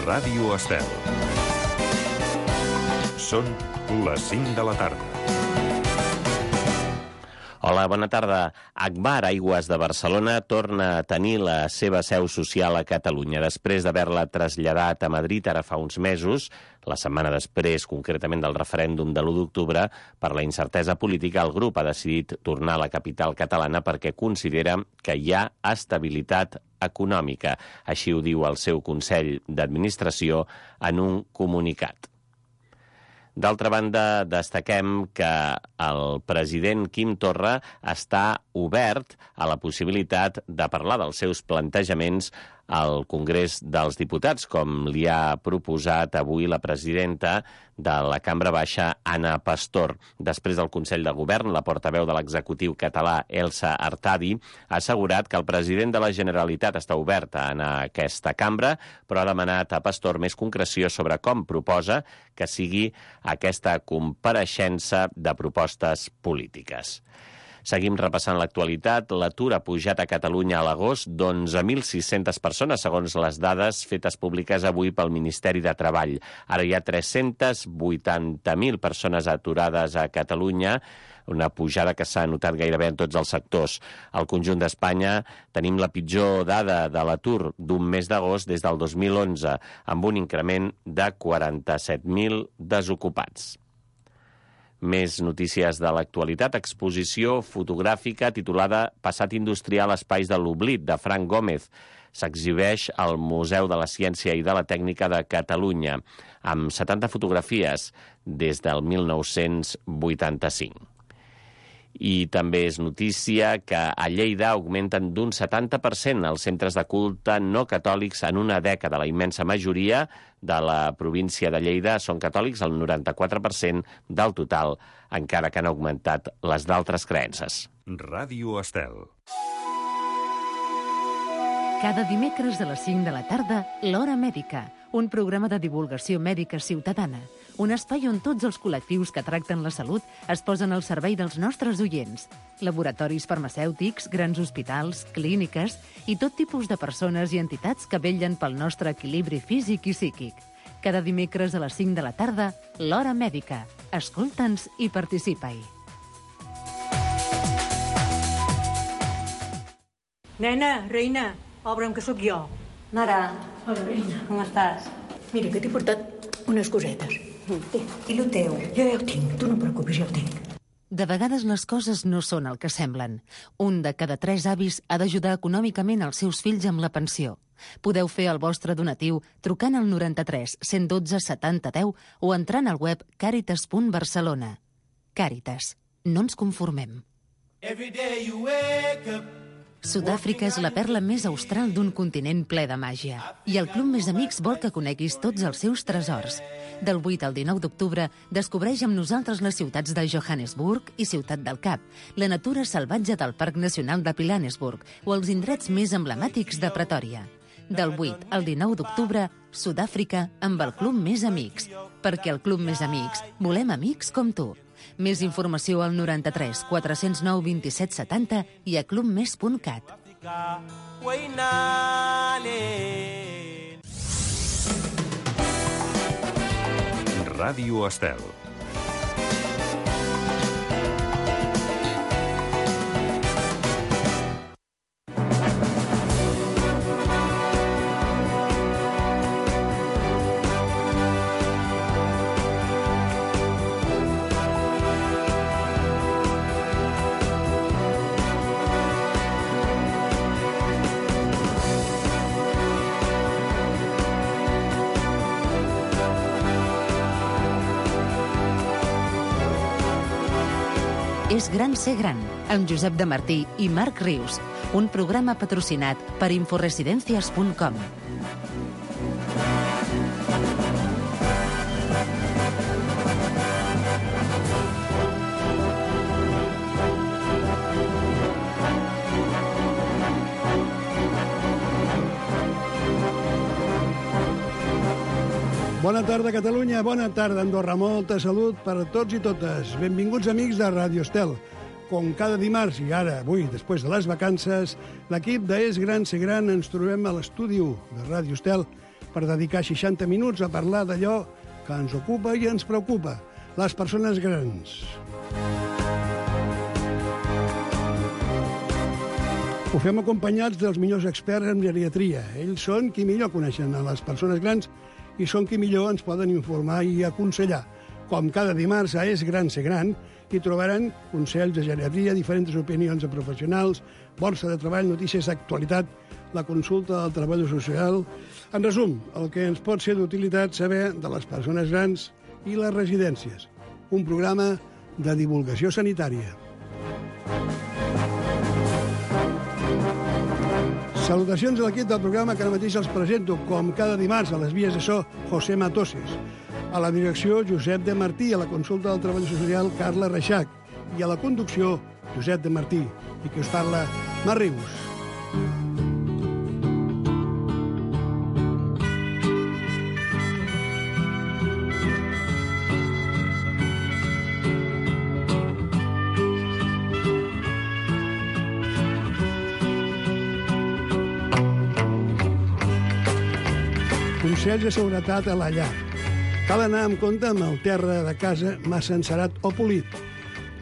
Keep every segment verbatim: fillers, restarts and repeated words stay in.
Ràdio Estel. Són les cinc de la tarda. Hola, bona tarda. Agbar Aigües de Barcelona torna a tenir la seva seu social a Catalunya. Després d'haver-la traslladat a Madrid ara fa uns mesos, la setmana després, concretament del referèndum de l'u d'octubre, per la incertesa política, el grup ha decidit tornar a la capital catalana perquè considera que hi ha estabilitat econòmica. Així ho diu el seu Consell d'Administració en un comunicat. D'altra banda, destaquem que el president Quim Torra està obert a la possibilitat de parlar dels seus plantejaments al Congrés dels Diputats, com li ha proposat avui la presidenta de la Cambra Baixa, Ana Pastor. Després del Consell de Govern, la portaveu de l'executiu català, Elsa Artadi, ha assegurat que el president de la Generalitat està obert a anar a aquesta cambra, però ha demanat a Pastor més concreció sobre com proposa que sigui aquesta compareixença de propostes polítiques. Seguim repassant l'actualitat. L'atur ha pujat a Catalunya a l'agost d'onze mil sis-centes persones, segons les dades fetes públiques avui pel Ministeri de Treball. Ara hi ha tres-cents vuitanta mil persones aturades a Catalunya, una pujada que s'ha notat gairebé en tots els sectors. Al conjunt d'Espanya tenim la pitjor dada de l'atur d'un mes d'agost des del dos mil onze, amb un increment de quaranta-set mil desocupats. Més notícies de l'actualitat. Exposició fotogràfica titulada Passat industrial, espais de l'oblit, de Frank Gómez. S'exhibeix al Museu de la Ciència i de la Tècnica de Catalunya, amb setanta fotografies des del mil nou-cents vuitanta-cinc. I també és notícia que a Lleida augmenten d'un setanta per cent els centres de culte no catòlics en una dècada. La immensa majoria de la província de Lleida són catòlics, el noranta-quatre per cent del total, encara que han augmentat les d'altres creences. Ràdio Estel. Cada dimecres a les cinc de la tarda, l'Hora Mèdica, un programa de divulgació mèdica ciutadana, un espai on tots els col·lectius que tracten la salut es posen al servei dels nostres oients. Laboratoris farmacèutics, grans hospitals, clíniques i tot tipus de persones i entitats que vetllen pel nostre equilibri físic i psíquic. Cada dimecres a les cinc de la tarda, l'Hora Mèdica. Escolta'ns i participa-hi. Nena, reina, obre'm que sóc jo. Mare. Hola, reina. Com estàs? Mira, que t'he portat unes cosetes. I lo teu? Jo ja ho tinc, tu no et preocupis, ja ho tinc. De vegades les coses no són el que semblen. Un de cada tres avis ha d'ajudar econòmicament els seus fills amb la pensió. Podeu fer el vostre donatiu trucant al noranta-tres cent dotze setanta deu o entrant al web càritas punt barcelona. Càritas. No ens conformem. Sud-àfrica és la perla més austral d'un continent ple de màgia. I el Club Més Amics vol que coneguis tots els seus tresors. Del vuit al dinou d'octubre, descobreix amb nosaltres les ciutats de Johannesburg i Ciutat del Cap, la natura salvatge del Parc Nacional de Pilanesburg o els indrets més emblemàtics de Pretòria. Del vuit al dinou d'octubre, Sud-àfrica amb el Club Més Amics. Perquè al Club Més Amics volem amics com tu. Més informació al noranta-tres quatre-cents nou vint-i-set setanta i a clubmes punt cat. Ràdio Estel. És gran ser gran, amb Josep de Martí i Marc Rius, un programa patrocinat per inforesidencias punt com. Bona tarda, Catalunya. Bona tarda, Andorra. Molta salut per a tots i totes. Benvinguts, amics de Ràdio Estel. Com cada dimarts, i ara, avui, després de les vacances, l'equip de És Gran Ser Gran ens trobem a l'estudi de Ràdio Estel per dedicar seixanta minuts a parlar d'allò que ens ocupa i ens preocupa, les persones grans. Ho fem acompanyats dels millors experts en geriatria. Ells són qui millor coneixen a les persones grans i són qui millor ens poden informar i aconsellar. Com cada dimarts a És Gran Ser Gran, hi trobaran consells de geriatria, diferents opinions de professionals, borsa de treball, notícies d'actualitat, la consulta del treballador social. En resum, el que ens pot ser d'utilitat saber de les persones grans i les residències. Un programa de divulgació sanitària. Salutacions a l'equip del programa que ara mateix els presento, com cada dimarts a les vies de so, José Matoses. A la direcció, Josep de Martí, a la consulta del treball social, Carla Reixac, i a la conducció, Josep de Martí, i que us parla, Mar Rius. Consells de seguretat a la llar. Cal anar amb compte amb el terra de casa massa encerat o polit.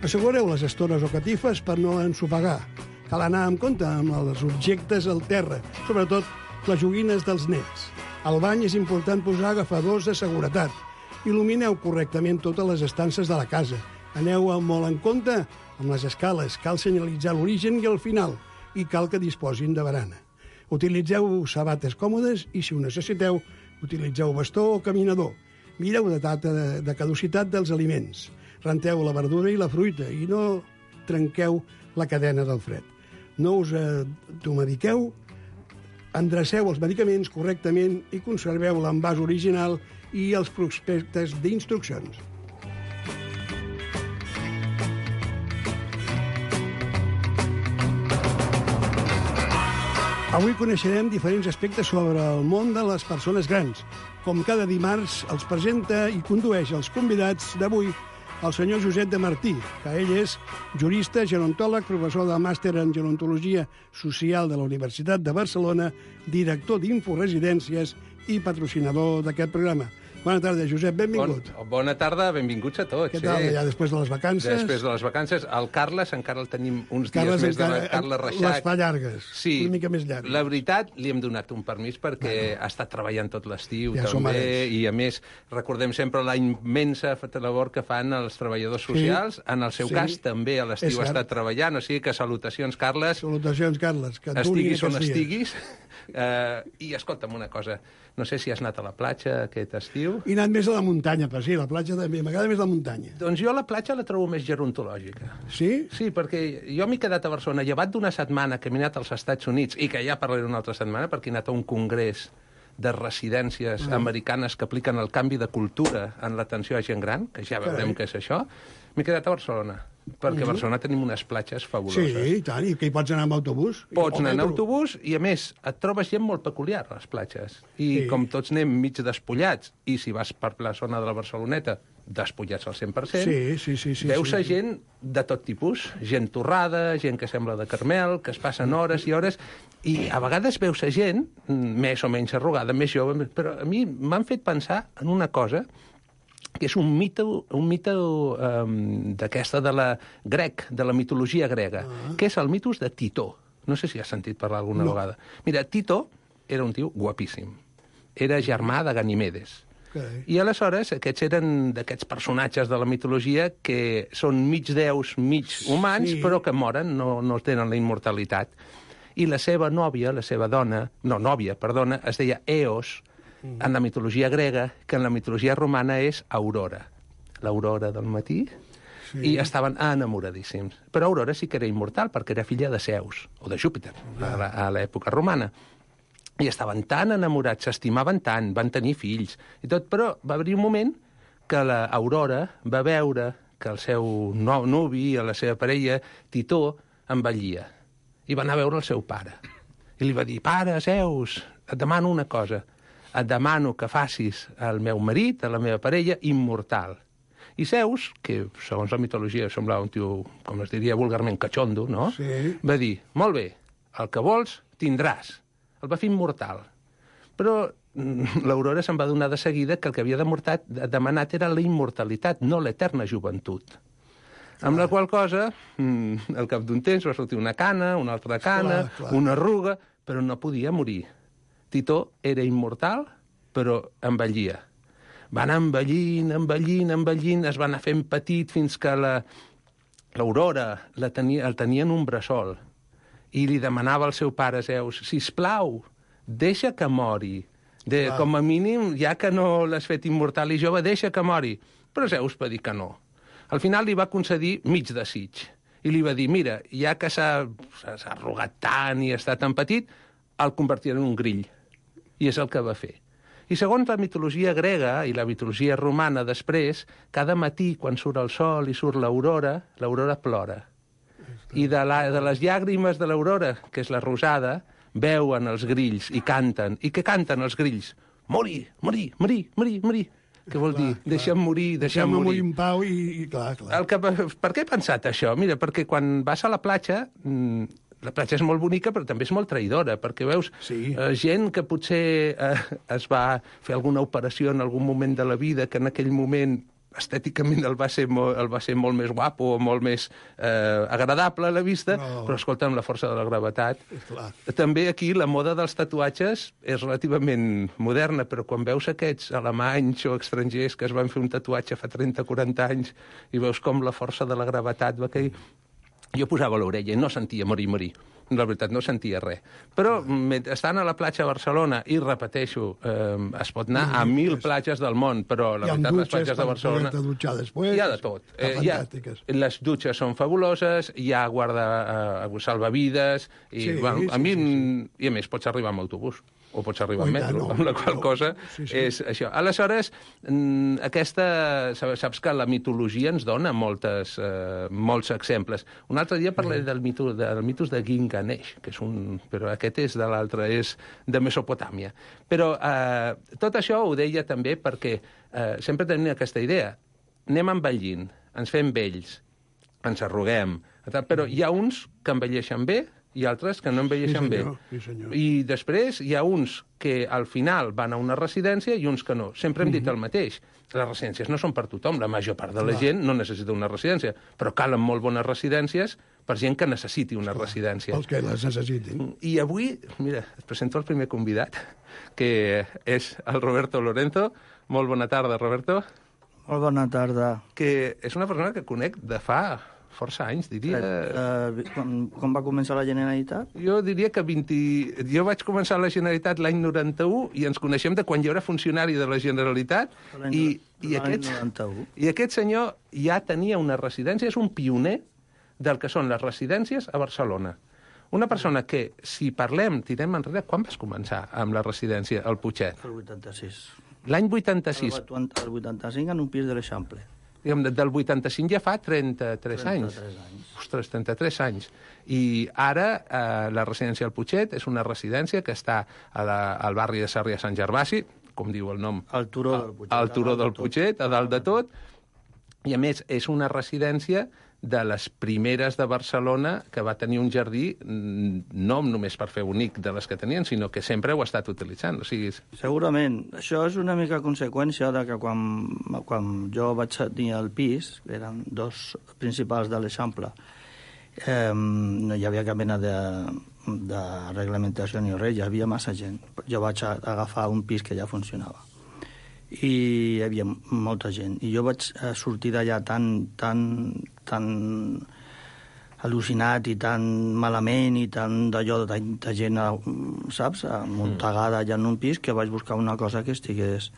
Assegureu les estores o catifes per no ensopegar. Cal anar amb compte amb els objectes al terra, sobretot les joguines dels nets. Al bany és important posar agafadors de seguretat. Il·lumineu correctament totes les estances de la casa. Aneu molt en compte amb les escales. Cal senyalitzar l'origen i el final. I cal que disposin de barana. Utilitzeu sabates còmodes i, si ho necessiteu, utilitzeu bastó o caminador. Mireu la data de, de caducitat dels aliments. Renteu la verdura i la fruita i no trenqueu la cadena del fred. No us automediqueu, endreceu els medicaments correctament i conserveu l'envàs original i els prospectes d'instruccions. Avui coneixerem diferents aspectes sobre el món de les persones grans. Com cada dimarts, els presenta i condueix els convidats d'avui el senyor Josep de Martí, que ell és jurista, gerontòleg, professor de màster en gerontologia social de la Universitat de Barcelona, director d'Inforesidències i patrocinador d'aquest programa. Bona tarda, Josep, benvingut. Bon, bona tarda, benvinguts a tots. Què tal, sí. ja després de les vacances? Després de les vacances. El Carles encara el tenim uns Carles dies més encara, de la Carla Reixac. Les fa llargues, sí, una mica més llargues. La veritat, li hem donat un permís perquè bueno, ha estat treballant tot l'estiu ja també, i a més recordem sempre la immensa labor que fan els treballadors socials. Sí, en el seu sí, cas també a l'estiu ha estat treballant, o sigui que salutacions, Carles. Salutacions, Carles. Que estiguis on estiguis. Uh, I escolta'm una cosa, no sé si has anat a la platja aquest estiu. He anat més a la muntanya, però sí, la platja també, m'agrada més la muntanya. Doncs jo la platja la trobo més gerontològica. Sí? Sí, perquè jo m'he quedat a Barcelona, llevat d'una setmana que m'he anat als Estats Units, i que ja parlaré una altra setmana, perquè he anat a un congrés de residències ah. americanes que apliquen el canvi de cultura en l'atenció a gent gran, que ja veurem què és això. M'he quedat a Barcelona, perquè a Barcelona tenim unes platges fabuloses. Sí, i tant, i que hi pots anar amb autobús. Pots anar en autobús i, a més, et trobes gent molt peculiar a les platges. I sí, com tots anem mig despullats, i si vas per la zona de la Barceloneta, despullats al cent per cent, sí, sí, sí, sí, veus sí, a sí. gent de tot tipus, gent torrada, gent que sembla de Carmel, que es passen hores i hores, i a vegades veus a gent més o menys arrugada, més jove, però a mi m'han fet pensar en una cosa que és un mite, un mite um, d'aquesta de la grec, de la mitologia grega, ah. que és el mitos de Titó. No sé si has sentit parlar alguna no. vegada. Mira, Titó era un tio guapíssim. Era germà de Ganimedes. Okay. I aleshores aquests eren d'aquests personatges de la mitologia que són mig déus, mig humans, sí. però que moren, no, no tenen la immortalitat. I la seva nòvia, la seva dona, no, nòvia, perdona, es deia Eos, mm. en la mitologia grega, que en la mitologia romana és Aurora. L'aurora del matí, sí. i estaven enamoradíssims. Però Aurora sí que era immortal, perquè era filla de Zeus, o de Júpiter, ah. a l'època romana. I estaven tan enamorats, s'estimaven tant, van tenir fills, i tot, però va haver un moment que l'Aurora va veure que el seu nou nuvi, la seva parella, Titó, envellia. I va anar a veure el seu pare. I li va dir, pare, Zeus, et demano una cosa. Et demano que facis al meu marit, a la meva parella, immortal. I Zeus, que segons la mitologia semblava un tio, com es diria vulgarment, catxondo, no? Sí. Va dir, molt bé, el que vols tindràs. El va fer immortal. Però l'Aurora se'n va donar de seguida que el que havia demanat era la immortalitat, no l'eterna joventut. Amb la qual cosa, al cap d'un temps va sortir una cana, una altra cana, clar, clar. una arruga, però no podia morir. Titó era immortal, però envellia. Va anar envellint, envellint, envellint, es va anar fent petit fins que l'Aurora la tenia, el tenia en un bressol i li demanava al seu pare Zeus, sisplau, deixa que mori. De, com a mínim, ja que no l'has fet immortal i jove, deixa que mori. Però Zeus va dir que no. Al final li va concedir mig desig i li va dir, mira, ja que s'ha arrugat tant i està tan petit, el convertirà en un grill. I és el que va fer. I segons la mitologia grega i la mitologia romana després, cada matí, quan surt el sol i surt l'aurora, l'aurora plora. I de, la, de les llàgrimes de l'aurora, que és la rosada, veuen els grills i canten. I què canten els grills? Morir, morir, morir, morir, morir. Què vol clar, dir? Clar. Deixa'm morir, deixa'm, deixa'm morir. morir en pau i, i clar, clar. El que, per què he pensat això? Mira, perquè quan vas a la platja, la platja és molt bonica, però també és molt traïdora, perquè veus sí. eh, gent que potser eh, es va fer alguna operació en algun moment de la vida, que en aquell moment estèticament el va ser molt, el va ser molt més guapo, molt més eh, agradable a la vista, no. però escolta, amb la força de la gravetat. També aquí la moda dels tatuatges és relativament moderna, però quan veus aquests alemanys o estrangers que es van fer un tatuatge fa trenta o quaranta anys i veus com la força de la gravetat va cair... Jo posava l'orella i no sentia morir, morir. La veritat, no sentia res. Però estant a la platja a Barcelona, i repeteixo, eh, es pot anar a mil platges del món, però la veritat, les platges de Barcelona... Després, hi ha de tot. Eh, ha, les dutxes són fabuloses, hi ha guarda eh, salvavides, i, sí, bueno, a sí, mi, sí, sí. i a més pots arribar amb autobús o pots arribar amb metro, no, amb la qual no, cosa sí, sí. és això. Aleshores, aquesta, saps que la mitologia ens dona moltes, eh, molts exemples. Un altre dia parlaré del mitos, del mitos de Gilgamesh, que és un... però aquest és de l'altre, és de Mesopotàmia. Però eh, tot això ho deia també perquè eh, sempre tenim aquesta idea. Anem envellint, ens fem vells, ens arruguem, però hi ha uns que envelleixen bé i altres que no envelleixen sí, senyor, bé. Sí, senyor. I després hi ha uns que al final van a una residència i uns que no. Sempre hem dit el mateix. Les residències no són per tothom. La major part de la Clar. gent no necessita una residència, però calen molt bones residències per gent que necessiti una Clar. residència. Els que les necessitin. I avui, mira, et presento el primer convidat, que és el Roberto Lorenzo. Molt bona tarda, Roberto. Molt bona tarda. Que és una persona que conec de fa... força anys, diria. Uh, quan, quan va començar la Generalitat? Jo diria que vint... Jo vaig començar a la Generalitat l'any noranta-u i ens coneixem de quan jo era funcionari de la Generalitat i, i, aquest, i aquest senyor ja tenia una residència, és un pioner del que són les residències a Barcelona. Una persona que, si parlem, tirem enrere, quan vas començar amb la residència al Putxet? El vuitanta-sis. L'any vuitanta-sis. El vuitanta-cinc en un pis de l'Eixample. Del vuitanta-cinc ja fa trenta-tres anys. anys. Ostres, trenta-tres anys. I ara eh, la residència del Putxet és una residència que està a la, al barri de Sarrià Sant Gervasi, com diu el nom. Al turó del Putxet. Al turó del Putxet, a dalt de tot. I a més, és una residència de les primeres de Barcelona que va tenir un jardí no només per fer bonic de les que tenien, sinó que sempre ho ha estat utilitzant. O sigui... Segurament. Això és una mica conseqüència de que quan, quan jo vaig tenir el pis, eren dos principals de l'Eixample, eh, no hi havia cap mena de, de reglamentació ni res, hi havia massa gent. Jo vaig agafar un pis que ja funcionava. I hi havia molta gent. I jo vaig sortir d'allà tan, tan, tan al·lucinat i tan malament i tan d'allò de tanta gent, saps, amuntegada allà en un pis, que vaig buscar una cosa que estigués...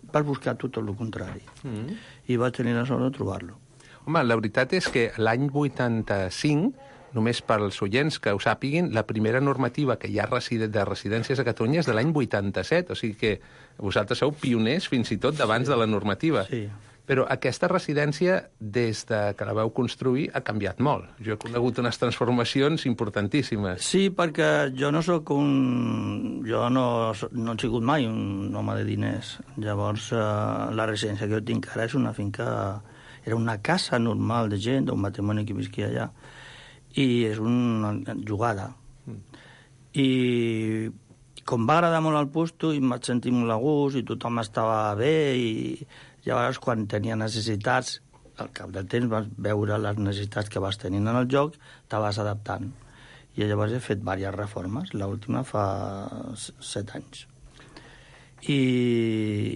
Vaig buscar tot el contrari. Mm. I vaig tenir la sort de trobar-lo. Home, la veritat és que l'any vuitanta-cinc, només pels oients que ho sàpiguin, la primera normativa que hi ha de residències a Catalunya és de l'any vuitanta-set, o sigui que vosaltres sou pioners fins i tot d'abans de la normativa. Sí. Però aquesta residència, des de que la vau construir, ha canviat molt. Jo he conegut unes transformacions importantíssimes. Sí, perquè jo no sóc un... Jo no, no he sigut mai un home de diners. Llavors, eh, la residència que jo tinc ara és una finca... Era una casa normal de gent, d'un matrimoni que visquia allà. I és una jugada. Mm. I com va agradar molt el puesto i em vaig sentir molt a gust i tothom estava bé i llavors quan tenia necessitats, al cap del temps vas veure les necessitats que vas tenint en el joc, te vas adaptant. I llavors he fet diverses reformes, l'última fa set anys. I,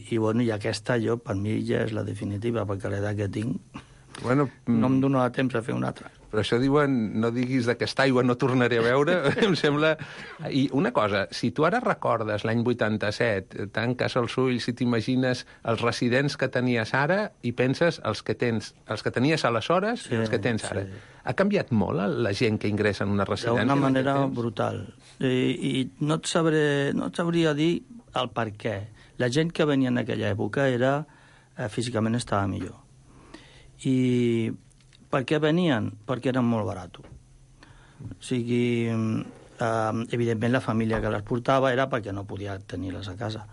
i, bueno, i aquesta jo, per mi, ja és la definitiva, perquè l'edat que tinc bueno, no em donarà temps a fer una altra. Però això diuen, no diguis d'aquesta aigua no tornaré a veure, em sembla... I una cosa, si tu ara recordes l'any vuitanta-set, tanques els ulls i t'imagines els residents que tenies ara i penses els que tens, els que tenies aleshores sí, i els que tens ara. Sí. Ha canviat molt la gent que ingressa en una residència? D'una manera brutal. I, i no, et sabré, no et sabria dir el per què. La gent que venia en aquella època era, eh, físicament estava millor. I per què venien? Perquè eren molt baratos. O sigui, eh, evidentment la família que les portava era perquè no podia tenir-les a casa.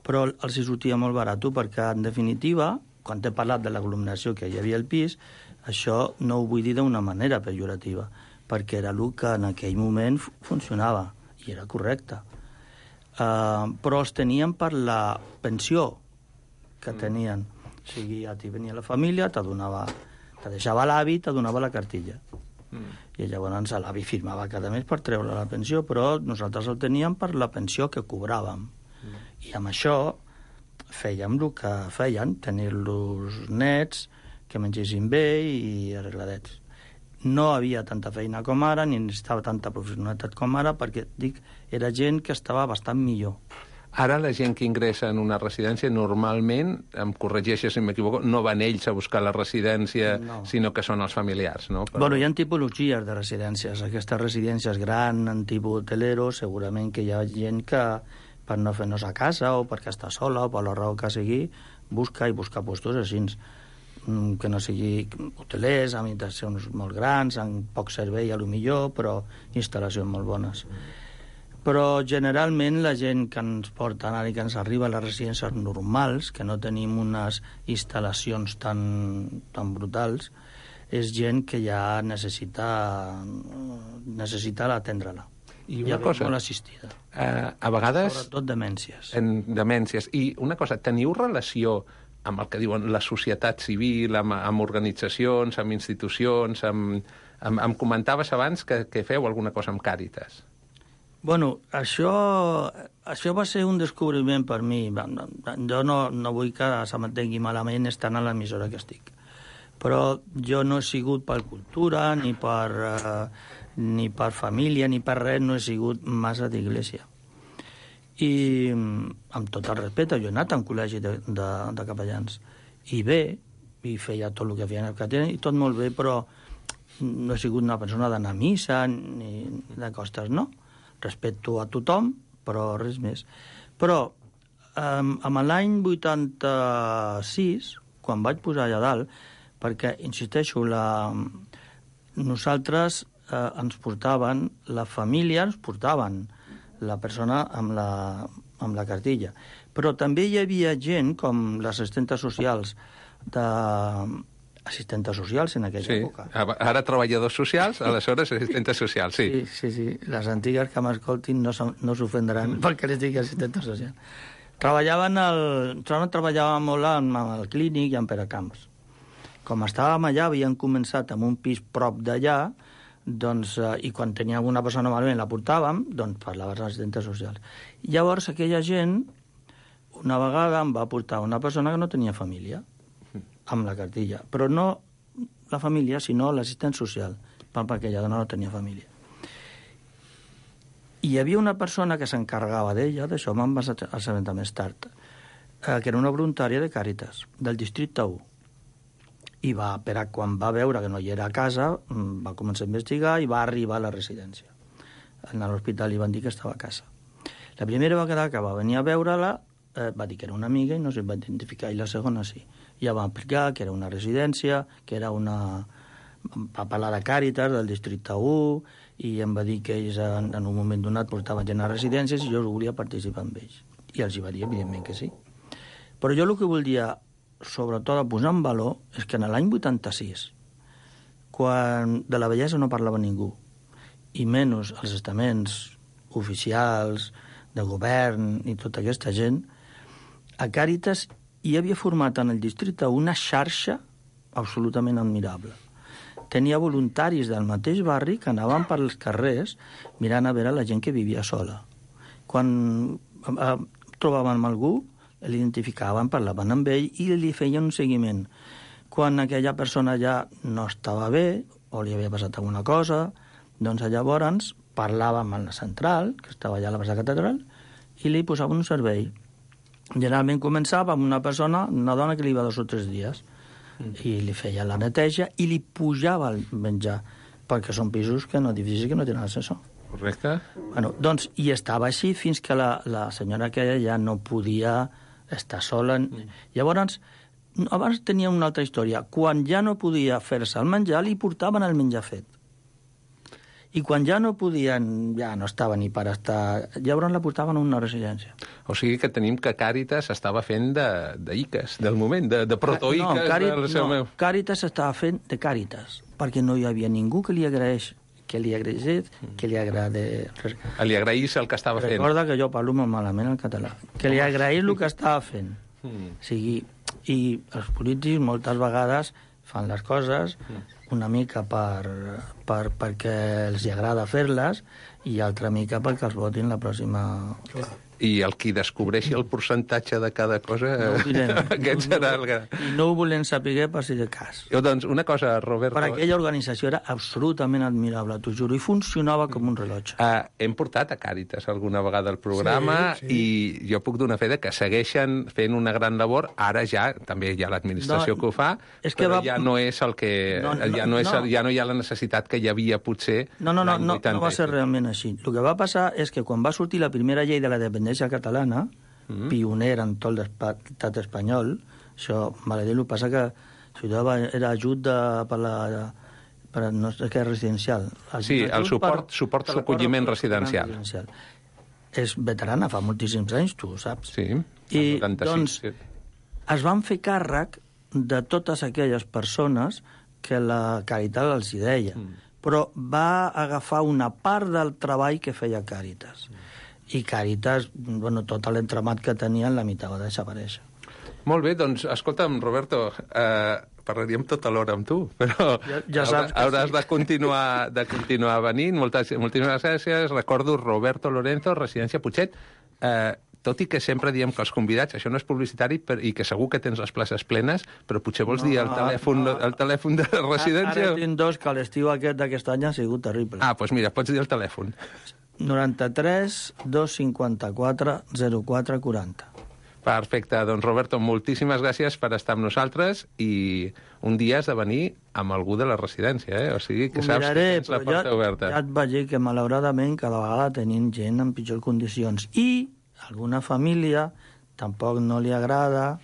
Però els hi sortia molt barat perquè, en definitiva, quan he parlat de l'aglomeració que hi havia al pis, això no ho vull dir d'una manera pejorativa, perquè era el que en aquell moment funcionava, i era correcte. Uh, però els tenien per la pensió que tenien. O sigui, ja t'hi venia la família, te donava, te deixava l'avi, te donava la cartilla. Mm. I llavors l'avi firmava cada mes per treure la pensió, però nosaltres el teníem per la pensió que cobràvem. Mm. I amb això fèiem el que feien, tenir-los nets, que mengessin bé i arregladets. No havia tanta feina com ara, ni necessitava tanta professionalitat com ara, perquè, dic, era gent que estava bastant millor. Ara la gent que ingressa en una residència normalment, em corregeixes si m'equivoco, no van ells a buscar la residència, no, sinó que són els familiars, no? Però... Bueno, hi ha tipologies de residències. Aquestes residències grans, en tipus hotelero, segurament que hi ha gent que, per no fer-nos a casa, o perquè està sola, o per la raó que sigui, busca i busca puestos així, que no sigui hotelers, amb habitacions molt grans, amb poc servei a lo millor, però instal·lacions molt bones. Però generalment la gent que ens porta anar i que ens arriba a les residències normals, que no tenim unes instal·lacions tan, tan brutals, és gent que ja necessita, necessita atendre-la. I una ja cosa, molt assistida. Uh, a vegades... Sobretot demències. En demències. I una cosa, teniu relació amb el que diuen la societat civil, amb, amb organitzacions, amb institucions, amb, amb, amb comentaves abans que, que feu alguna cosa amb Càritas. Bueno, això, això va ser un descobriment per mi. Jo no, no vull que se m'entengui malament estant a l'emissora que estic. Però jo no he sigut per cultura, ni per, uh, ni per família, ni per res, no he sigut massa d'església. I amb tot el respecte, jo he anat a un col·legi de, de, de capellans i bé, i feia tot el que feien els capellans i tot molt bé, però no he sigut una persona d'anar a missa ni de costes, no. Respecto a tothom, però res més. Però um, amb l'any vuitanta-sis, quan vaig posar allà dalt, perquè, insisteixo, la... nosaltres eh, ens portaven, la família ens portaven la persona amb la, amb la cartilla. Però també hi havia gent, com les assistentes socials, de... assistentes socials en aquella sí. època. Ara treballadors socials, aleshores assistentes socials, sí. Sí, sí, sí. Les antigues que m'escoltin no, no s'ofendran perquè les digui assistentes socials. Treballaven el... Treballàvem molt amb el clínic i amb Peracamps. Com estàvem allà, havien començat amb un pis prop d'allà, doncs, eh, i quan tenia alguna persona malament la portàvem, doncs parlava als assistentes socials. Llavors aquella gent, una vegada em va portar una persona que no tenia família, amb la cartilla, però no la família, sinó l'assistent social, perquè aquella dona no tenia família. I hi havia una persona que s'encarregava d'ella, d'això me'n vas assabentar més tard, eh, que era una voluntària de Càritas, del districte u. I va, per a quan va veure que no hi era a casa, va començar a investigar i va arribar a la residència. En l'hospital li van dir que estava a casa. La primera vegada que va venir a veure-la, eh, va dir que era una amiga i no se'n va identificar, i la segona sí. Ja va explicar que era una residència, que era una... va parlar de Càritas, del districte u, i em va dir que ells en, en un moment donat portaven gent a residències i jo volia participar amb ells. I els hi va dir, evidentment, que sí. Però jo el que volia, sobretot a posar en valor, és que en l'any vuitanta-sis, quan de la vellesa no parlava ningú, i menys els estaments oficials de govern i tota aquesta gent, a Càritas hi havia format en el districte una xarxa absolutament admirable. Tenia voluntaris del mateix barri que anaven pels carrers mirant a veure la gent que vivia sola. Quan eh, trobaven amb algú, l'identificaven, parlaven amb ell i li feien un seguiment. Quan aquella persona ja no estava bé o li havia passat alguna cosa, doncs llavors parlàvem amb la central, que estava allà a la plaça Catedral, i li posaven un servei. Generalment començava amb una persona, una dona que li va dos o tres dies, mm. i li feia la neteja i li pujava el menjar, perquè són pisos que no difícils que no tenen ascensor. Correcte. Bueno, doncs, i estava així fins que la, la senyora aquella ja no podia estar sola. Mm. Llavors, abans tenia una altra història. Quan ja no podia fer-se el menjar, li portaven el menjar fet. I quan ja no podien, ja no estava ni per estar... Llavors la portaven a una residència. O sigui que tenim que Càritas estava fent de, de Iques, del moment, de, de protoiques. No, Càrit, del seu no, meu... Càritas estava fent de Càritas, perquè no hi havia ningú que li agraeix, que li agraeix, que li agrade... Li agraís el que estava fent. Recorda que jo parlo molt malament el català. Que li agraeix el que estava fent. Mm. O sigui, i els polítics moltes vegades fan les coses una mica per, per, perquè els agrada fer-les i altra mica perquè els votin la pròxima... I el qui descobreixi el percentatge de cada cosa, no ho direm. aquest serà el que... I no ho volem saber per si de cas. Jo, doncs, una cosa, Roberto... Per aquella organització era absolutament admirable, t'ho juro, i funcionava com un rellotge. Uh, hem portat a Càritas alguna vegada al programa sí, sí. i jo puc donar fe de que segueixen fent una gran labor. Ara ja, també hi ha l'administració no, que ho fa, és que però va... ja no és el que... No, no, ja, no és el, ja no hi ha la necessitat que hi havia potser... No, no, no, no, no va ser realment així. El que va passar és que quan va sortir la primera llei de la dependència catalana, mm. pionera en tot l'estat espanyol, això, vale dir, el que passa que això era ajut de, per la... Per, no sé què és residencial. Ajut, sí, el suport, per, suport a l'acolliment residencial. residencial. És veterana, fa moltíssims anys, tu ho saps. Sí, I, noranta-sis. Doncs, sí. Es van fer càrrec de totes aquelles persones que la Càritas els hi deia, mm. però va agafar una part del treball que feia Càritas. Mm. I Càritas, bueno, tot l'entramat que tenien, la meitat va desaparèixer. Molt bé, doncs, escolta'm, Roberto, eh, parlaríem tota l'hora amb tu, però ja, ja saps hauràs sí. de continuar, de continuar venint. Moltes, moltíssimes gràcies. Recordo Roberto Lorenzo, Residència Putxet. Eh, tot i que sempre diem que els convidats, això no és publicitari per, i que segur que tens les places plenes, però potser vols no, dir el telèfon, no, el telèfon de residència? Ara tinc dos, que l'estiu aquest d'aquest any ha sigut terrible. Ah, doncs mira, pots dir el telèfon. noranta-tres dos cinquanta-quatre zero quatre quaranta. Perfecte. Doncs, Roberto, moltíssimes gràcies per estar amb nosaltres i un dia has de venir amb algú de la residència, eh? O sigui, que saps miraré, que tens la porta ja, oberta. Ja et vaig dir que, malauradament, cada vegada tenim gent en pitjors condicions. I alguna família tampoc no li agrada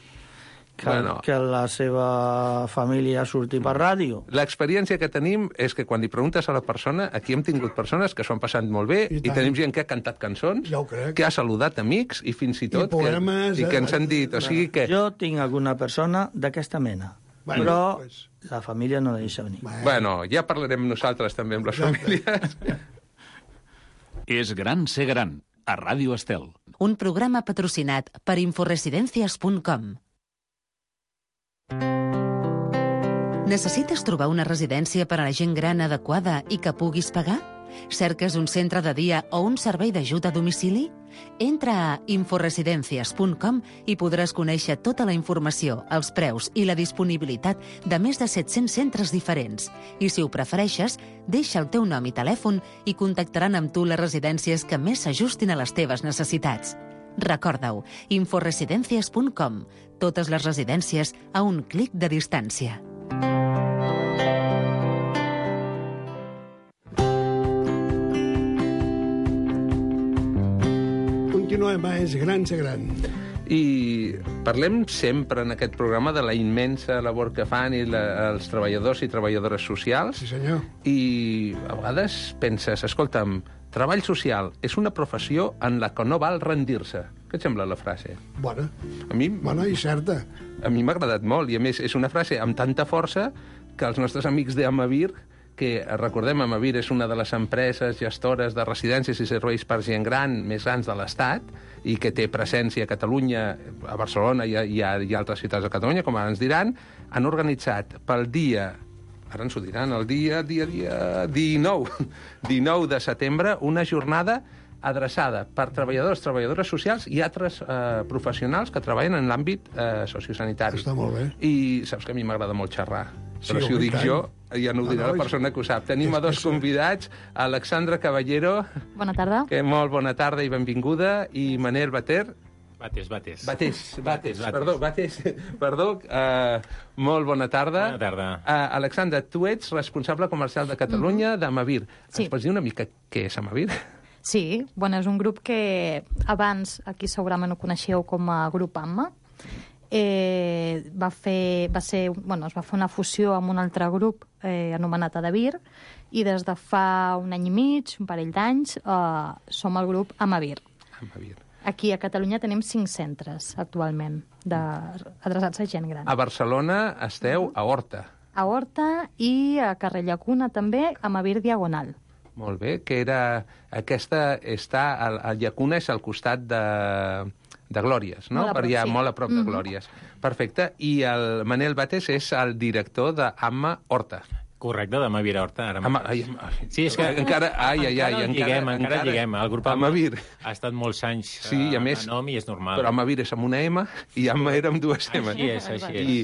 que, bueno, que la seva família surti per ràdio. L'experiència que tenim és que quan li preguntes a la persona, aquí hem tingut persones que s'ho han passat molt bé i, i tenim gent que ha cantat cançons, ja que ha saludat amics i fins i tot I, poemes, que, i que ens han dit... O sigui que... Jo tinc alguna persona d'aquesta mena, bueno, però pues... la família no la deixa venir. Bueno, bueno, ja parlarem nosaltres també amb les famílies. És gran ser gran, a Ràdio Estel. Un programa patrocinat per inforesidencias punt com. Necessites trobar una residència per a la gent gran adequada i que puguis pagar? Cerques un centre de dia o un servei d'ajut a domicili? Entra a inforesidencias punt com i podràs conèixer tota la informació, els preus i la disponibilitat de més de set-cents centres diferents. I si ho prefereixes, deixa el teu nom i telèfon i contactaran amb tu les residències que més s'ajustin a les teves necessitats. Recorda-ho, inforesidencias punt com. Totes les residències a un clic de distància. Continuem a És gran ser gran. I parlem sempre en aquest programa de la immensa labor que fan i la, els treballadors i treballadores socials. Sí, senyor. I a vegades penses, escolta'm, treball social és una professió en la que no val rendir-se. Què et sembla la frase? Bona. A mi... Bona i certa. A mi m'ha agradat molt, i a més és una frase amb tanta força que els nostres amics d'Amavir que, recordem, Amavir és una de les empreses gestores de residències i serveis per gent gran més grans de l'Estat i que té presència a Catalunya, a Barcelona i a, i a, i a altres ciutats de Catalunya, com ara ens diran, han organitzat pel dia, ara ens ho diran, el dia, dia, dia dinou, dinou de setembre, una jornada adreçada per treballadors, treballadores socials i altres eh, professionals que treballen en l'àmbit eh, sociosanitari. Està molt bé. I saps que a mi m'agrada molt xerrar. Sí, Però si ho dic tant. jo, ja no ho dirà No, no, la persona que ho sap. Tenim a dos és- convidats, Alexandra Caballero, Bona tarda. que molt bona tarda i benvinguda, i Manel Bater. Bates, bates. Batés, Batés, Bates. perdó, Batés, perdó, uh, molt bona tarda. Bona tarda. Uh, Alexandra, tu ets responsable comercial de Catalunya mm-hmm. d'Amavir. Sí. Ens pots dir una mica què és Amavir? Sí, bueno, és un grup que abans aquí segurament ho coneixeu com a grup AMMA. Eh, va fer, va ser, bueno, es va fer una fusió amb un altre grup eh, anomenat Adavir i des de fa un any i mig, un parell d'anys, eh, som el grup Amavir. Amavir. Aquí a Catalunya tenim cinc centres actualment de, adreçats a gent gran. A Barcelona esteu a Horta. A Horta i a Carrer Llacuna també, Amavir Diagonal. Molt bé, que era... Aquesta està... El, el Llacuna és al costat de, de Glòries, no? Molt a prop, Per allà, sí. molt a prop de Glòries. Perfecte. I el Manel Bates és el director d'Amma Horta. Correcte, demà Vira Horta. Ara Ama, mateix. ai, ai, Sí, és que encara, ai, ai, ai, encara, encara, lliguem, encara, encara lliguem. El grup Amavir. ha estat molts anys Sí, i a més- a nom i és normal. Però Amavir és amb una M i Amma era amb dues M. Així és, així és. I,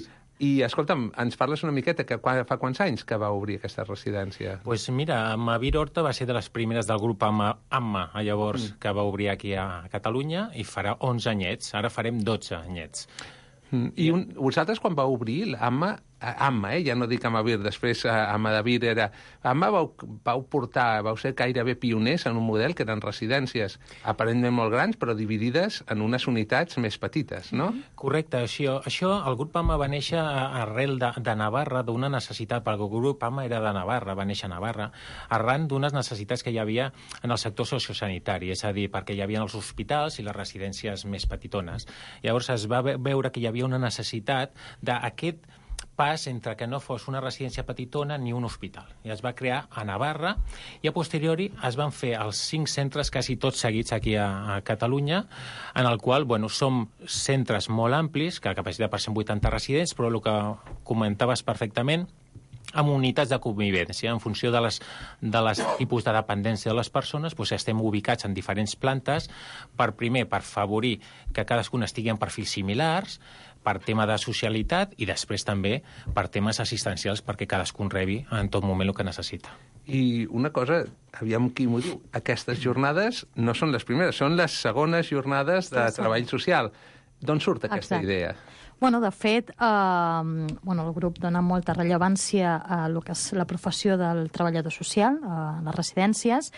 I, escolta'm, ens parles una miqueta, que qua- fa quants anys que va obrir aquesta residència? Pues mira, Amavir Horta va ser de les primeres del grup Amma, Amma llavors, mm. que va obrir aquí a Catalunya i farà onze anyets. Ara farem dotze anyets. Mm, I un, vosaltres, quan va obrir l'Amma, Amma, eh? Ja no dic Amavir, després eh, Amadavir era... Amma vau, vau portar, vau ser gairebé pioners en un model que eren residències aparentment molt grans, però dividides en unes unitats més petites, no? Correcte, això, això el grup AMA va néixer arrel de, de Navarra, d'una necessitat, perquè el grup AMA era de Navarra, va néixer a Navarra, arran d'unes necessitats que hi havia en el sector sociosanitari, és a dir, perquè hi havia els hospitals i les residències més petitones. Llavors es va ve- veure que hi havia una necessitat d'aquest pas entre que no fos una residència petitona ni un hospital. I es va crear a Navarra i a posteriori es van fer els cinc centres quasi tots seguits aquí a, a Catalunya, en el qual, bueno, som centres molt amplis, que la capacitat per cent vuitanta residents, però el que comentaves perfectament, amb unitats de convivència. En funció de les, de les tipus de dependència de les persones, doncs estem ubicats en diferents plantes, per primer, per favorir que cadascun estigui en perfils similars, per tema de socialitat i després també per temes assistencials perquè cadascun rebi en tot moment el que necessita. I una cosa, aviam qui m'ho diu, aquestes jornades no són les primeres, són les segones jornades de Sí, sí. treball social. D'on surt aquesta Exacte. idea? Bueno, de fet, eh, bueno, el grup dona molta rellevància a lo que és la professió del treballador social a les residències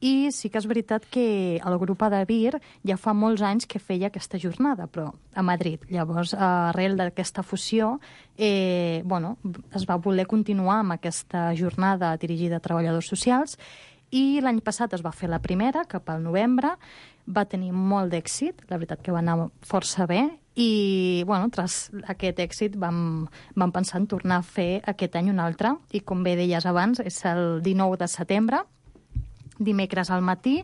i sí que és veritat que el grup Adavir ja fa molts anys que feia aquesta jornada, però a Madrid. Llavors, arrel d'aquesta fusió, eh, bueno, es va voler continuar amb aquesta jornada dirigida a treballadors socials i l'any passat es va fer la primera, cap al novembre, va tenir molt d'èxit, la veritat que va anar força bé, i bueno, tras aquest èxit vam, vam pensar en tornar a fer aquest any un altre, i com bé deies abans, és el dinou de setembre, dimecres al matí,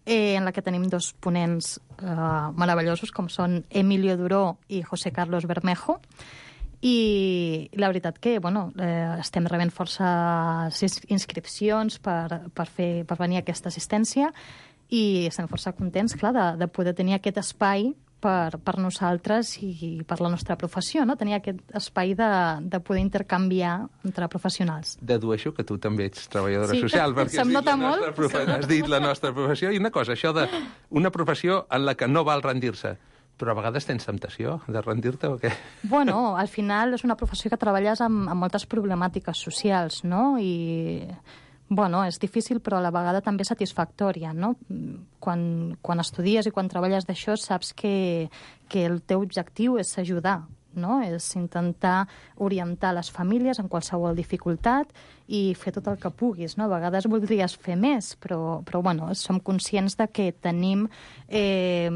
eh, en la que tenim dos ponents eh, meravellosos, com són Emilio Duró i José Carlos Bermejo, i la veritat que bueno, eh, estem rebent força inscripcions per, per, fer, per venir a aquesta assistència i estem força contents, clar, de, de poder tenir aquest espai per, per nosaltres i per la nostra professió, no? Tenir aquest espai de, de poder intercanviar entre professionals. Dedueixo que tu també ets treballadora Sí, social, perquè se'm has dit, nota la nostra molt, profe- se'm nota has dit la nostra professió. I una cosa, això de una professió en la que no val rendir-se, però a vegades tens temptació de rendir-te o què? Bueno, al final és una professió que treballes amb, amb moltes problemàtiques socials, no? I, bueno, és difícil, però a la vegada també satisfactòria, no? Quan, quan estudies i quan treballes d'això saps que, que el teu objectiu és ajudar, no? És intentar orientar les famílies en qualsevol dificultat i fer tot el que puguis, no? A vegades voldries fer més, però, però bueno, som conscients de que tenim eh,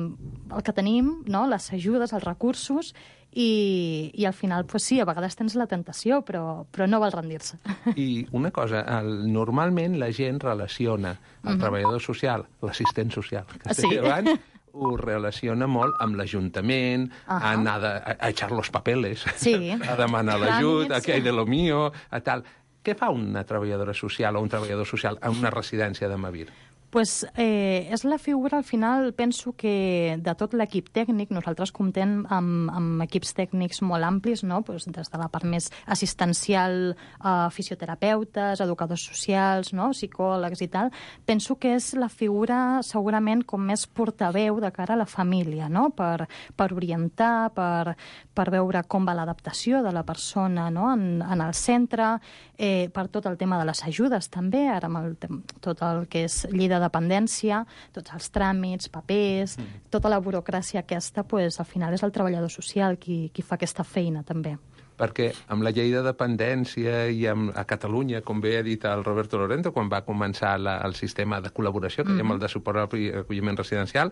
el que tenim, no? Les ajudes, els recursos, i, i al final, pues sí, a vegades tens la tentació, però, però no val rendir-se. I una cosa, el, normalment la gent relaciona el uh-huh. treballador social, l'assistent social, que sí. abans, ho relaciona molt amb l'Ajuntament, uh-huh. a anar de, a, a echar los papeles, sí. a demanar l'ajut, a que hay de lo mío, a tal. Què fa una treballadora social o un treballador social en una residència de Mavir? Pues, eh, és la figura, al final, penso que de tot l'equip tècnic, nosaltres comptem amb, amb equips tècnics molt amplis, no? Pues, des de la part més assistencial, eh, fisioterapeutes, educadors socials, no? Psicòlegs i tal. Penso que és la figura, segurament, com més portaveu de cara a la família, no? Per, per orientar, per, per veure com va l'adaptació de la persona, no? en, en el centre, eh, per tot el tema de les ajudes, també, ara amb el, tot el que és llei de dependència, tots els tràmits, papers, mm. tota la burocràcia aquesta, pues, al final és el treballador social qui, qui fa aquesta feina, també. Perquè amb la llei de dependència i amb, a Catalunya, com bé ha dit el Roberto Lorente, quan va començar la, el sistema de col·laboració, que mm. dèiem el de suport al acolliment residencial,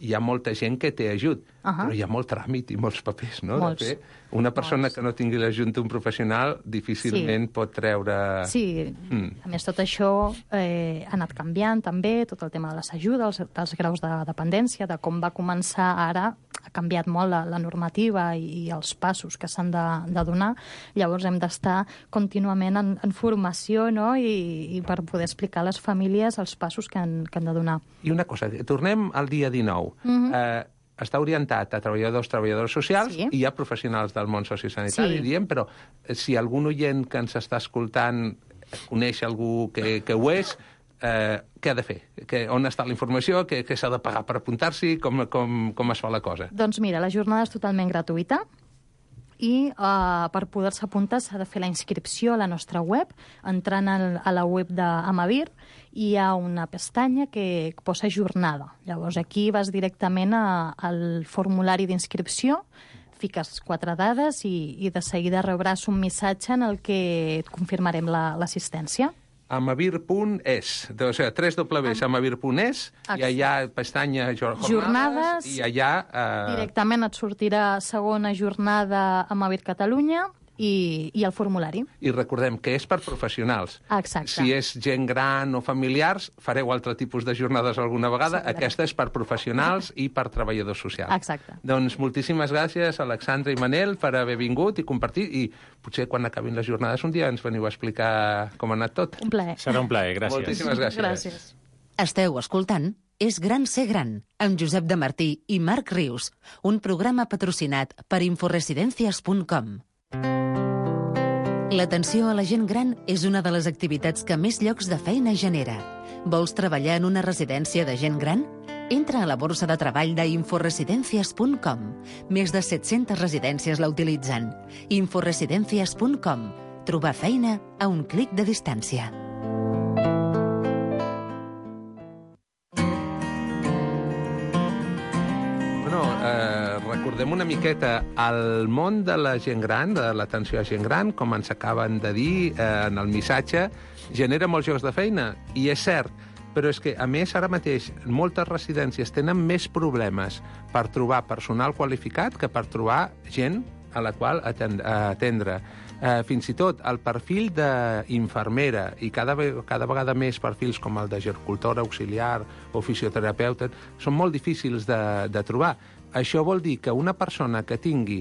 hi ha molta gent que té ajut, uh-huh. però hi ha molt tràmit i molts papers, no? Molts. De fer. Una persona Molts. que no tingui l'ajut d'un professional difícilment sí. pot treure... Sí, mm. a més tot això eh, ha anat canviant també, tot el tema de les ajudes, dels graus de dependència, de com va començar ara, ha canviat molt la, la normativa i, i els passos que s'han de, de donar. Llavors hem d'estar contínuament en, en formació, no? I, i per poder explicar a les famílies els passos que han, que han de donar. I una cosa, tornem al dia dinou. Mm-hmm. eh, està orientat a treballadors, treballadores socials, sí. i hi ha professionals del món sociosanitari, sí. diem, però si algun oient que ens està escoltant coneix algú que, que ho és, eh, què ha de fer? Que, on està la informació? Què, què s'ha de pagar per apuntar-s'hi? Com, com, com es fa la cosa? Doncs mira, la jornada és totalment gratuïta, i uh, per poder-se apuntar s'ha de fer la inscripció a la nostra web, entrant al, a la web d'Amavir, hi ha una pestanya que posa jornada. Llavors aquí vas directament a, al formulari d'inscripció, fiques quatre dades i, i de seguida rebràs un missatge en el que et confirmarem l'assistència. La, amavir punt es, o sigui, tres dobles amavir punt es, i allà pestanya jornades, jornades i allà... Eh... Directament et sortirà segona jornada Amavir Catalunya i, i el formulari. I recordem que és per professionals. Exacte. Si és gent gran o familiars, fareu altre tipus de jornades alguna vegada. Sí, aquesta és per professionals i per treballadors socials. Exacte. Doncs moltíssimes gràcies, Alexandra i Manel, per haver vingut i compartir. I potser quan acabin les jornades un dia ens veniu a explicar com ha anat tot. Un plaer. Serà un plaer, gràcies. Moltíssimes gràcies. Gràcies. Esteu escoltant És gran ser gran, amb Josep de Martí i Marc Rius, un programa patrocinat per inforesidencias punt com. L'atenció a la gent gran és una de les activitats que més llocs de feina genera. Vols treballar en una residència de gent gran? Entra a la borsa de treball d'inforesidencias punt com. Més de set-centes residències la utilitzen. inforesidencias punt com. Trobar feina a un clic de distància. Eh, recordem una miqueta el món de la gent gran, de l'atenció a gent gran, com ens acaben de dir eh, en el missatge, genera molts llocs de feina, i és cert, però és que, a més, ara mateix, moltes residències tenen més problemes per trobar personal qualificat que per trobar gent a la qual atendre. Eh, fins i tot el perfil d'infermera i cada, cada vegada més perfils com el de gericultora auxiliar o fisioterapeuta són molt difícils de, de trobar. Això vol dir que una persona que tingui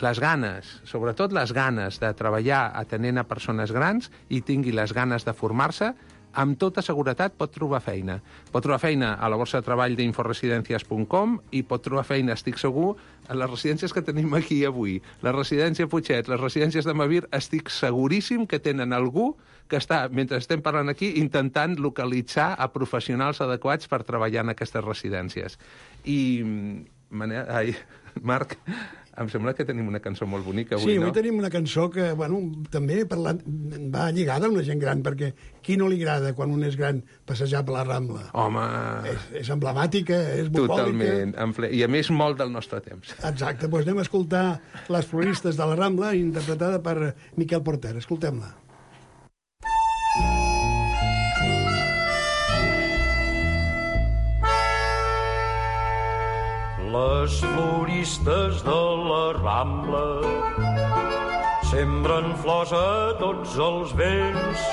les ganes, sobretot les ganes de treballar atenent a persones grans i tingui les ganes de formar-se, amb tota seguretat pot trobar feina. Pot trobar feina a la borsa de treball d'inforesidencias punt com i pot trobar feina, estic segur, a les residències que tenim aquí avui. La residència Putxet, les residències de Mavir, estic seguríssim que tenen algú que està, mentre estem parlant aquí, intentant localitzar a professionals adequats per treballar en aquestes residències. I, Manel, ai, Marc, em sembla que tenim una cançó molt bonica avui, sí, no? Sí, avui tenim una cançó que, bueno, també parlant, va lligada a una gent gran, perquè qui no li agrada quan un és gran passejar per la Rambla? Home... És, és emblemàtica, és bucòlica. Totalment, i a més molt del nostre temps. Exacte, doncs anem a escoltar Les floristes de la Rambla, interpretada per Miquel Porter. Escoltem-la. Les floristes de la Rambla sembren flors a tots els vents,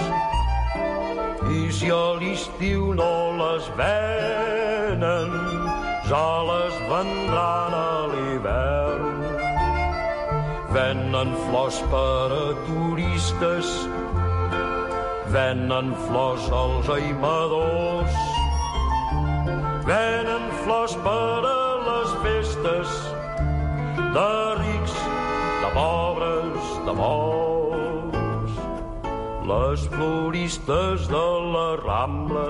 i si a l'estiu no les venen, ja les vendran a l'hivern. Venen flors per a turistes, venen flors als aimadors, venen flors per a les festes de rics, de pobres, de molts. Les floristes de la Rambla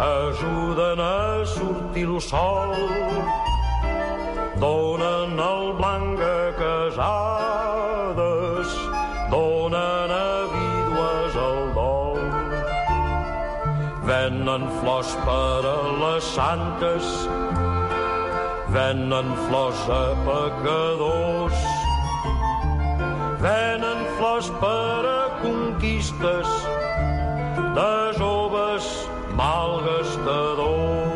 ajuden a sortir el sol, donen el blanc a casades, donen a vídues el dol. Venen flors per a les santes, venen flors a pecadors, venen flors per a conquistes de joves malgastadors.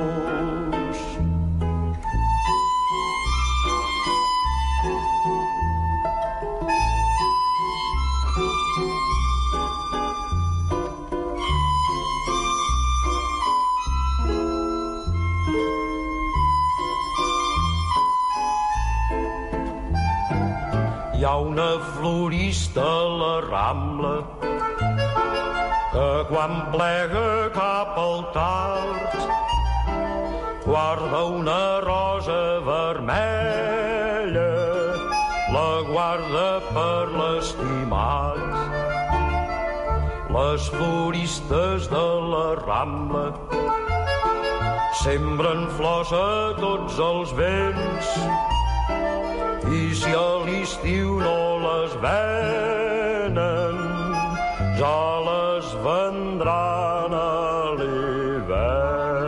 Hi ha una florista a la Rambla que quan plega cap al tard guarda una rosa vermella, la guarda per l'estimat. Les floristes de la Rambla sembren flors a tots els vents, i si a l'estiu no les venen, ja les vendran a l'hivern.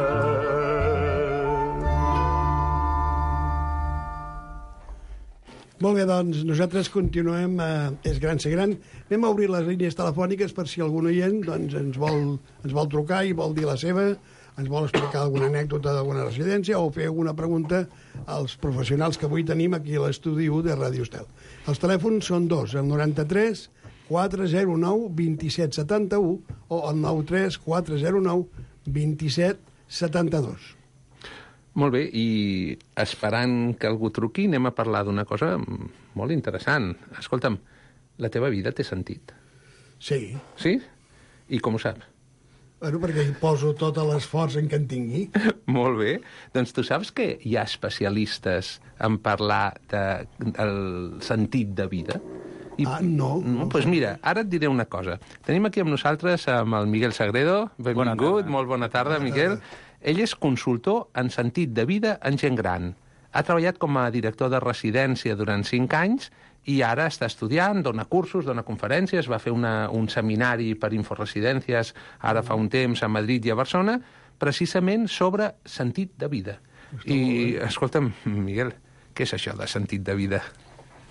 Molt bé, doncs nosaltres continuem a És Gran Ser Gran. Anem a obrir les línies telefòniques per si algun oient doncs, ens, vol, ens vol trucar i vol dir la seva, ens vol explicar alguna anècdota d'alguna residència o fer alguna pregunta als professionals que avui tenim aquí a l'estudi u de Ràdio Estel. Els telèfons són dos, el noranta-tres quatre zero nou vint set setanta-u o el noranta-tres quatre zero nou vint set setanta-dos. Molt bé, i esperant que algú truqui, anem a parlar d'una cosa molt interessant. Escolta'm, la teva vida té sentit? Sí. Sí? I com ho saps? Bueno, perquè hi poso tot l'esforç en què en tingui. Molt bé. Doncs tu saps que hi ha especialistes en parlar de, del sentit de vida? I, ah, no. no doncs pues mira, ara et diré una cosa. Tenim aquí amb nosaltres amb el Miguel Sagredo. Benvingut, bona molt bona tarda, bona Miguel. Tarda. Ell és consultor en sentit de vida en gent gran. Ha treballat com a director de residència durant cinc anys i ara està estudiant, dona cursos, dona conferències, va fer una, un seminari per inforesidències ara fa un temps a Madrid i a Barcelona, precisament sobre sentit de vida. Està I, escolta'm, Miguel, què és això de sentit de vida?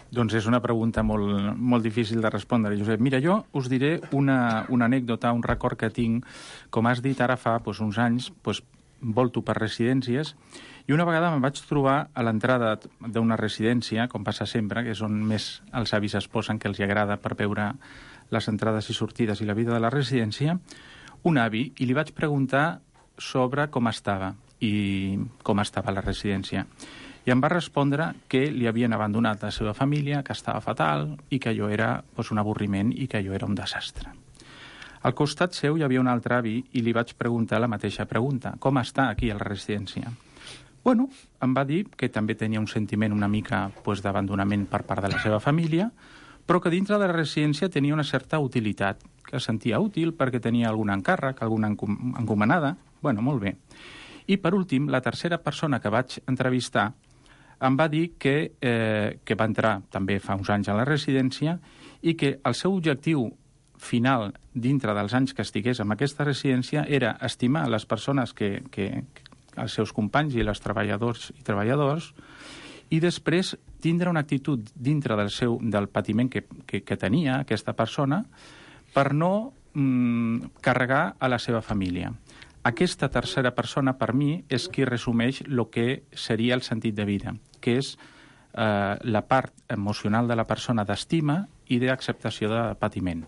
Doncs és una pregunta molt, molt difícil de respondre, Josep. Mira, jo us diré una, una anècdota, un record que tinc. Com has dit, ara fa doncs, uns anys, doncs, volto per residències, i una vegada me'n vaig trobar a l'entrada d'una residència, com passa sempre, que és on més els avis es posen, que els agrada per veure les entrades i sortides i la vida de la residència, un avi, i li vaig preguntar sobre com estava i com estava la residència. I em va respondre que li havien abandonat la seva família, que estava fatal i que allò era doncs, un avorriment i que allò era un desastre. Al costat seu hi havia un altre avi i li vaig preguntar la mateixa pregunta. Com està aquí a la residència? Bueno, em va dir que també tenia un sentiment una mica pues, d'abandonament per part de la seva família, però que dintre de la residència tenia una certa utilitat, que es sentia útil perquè tenia algun encàrrec, alguna encomanada. Bueno, molt bé. I per últim, la tercera persona que vaig entrevistar em va dir que, eh, que va entrar també fa uns anys a la residència i que el seu objectiu final, dintre dels anys que estigués en aquesta residència, era estimar les persones que, que, els seus companys i els treballadors i treballadors, i després tindre una actitud dintre del seu del patiment que, que, que tenia aquesta persona per no mm, carregar a la seva família. Aquesta tercera persona, per mi, és qui resumeix el que seria el sentit de vida, que és eh, la part emocional de la persona d'estima i d'acceptació de patiment.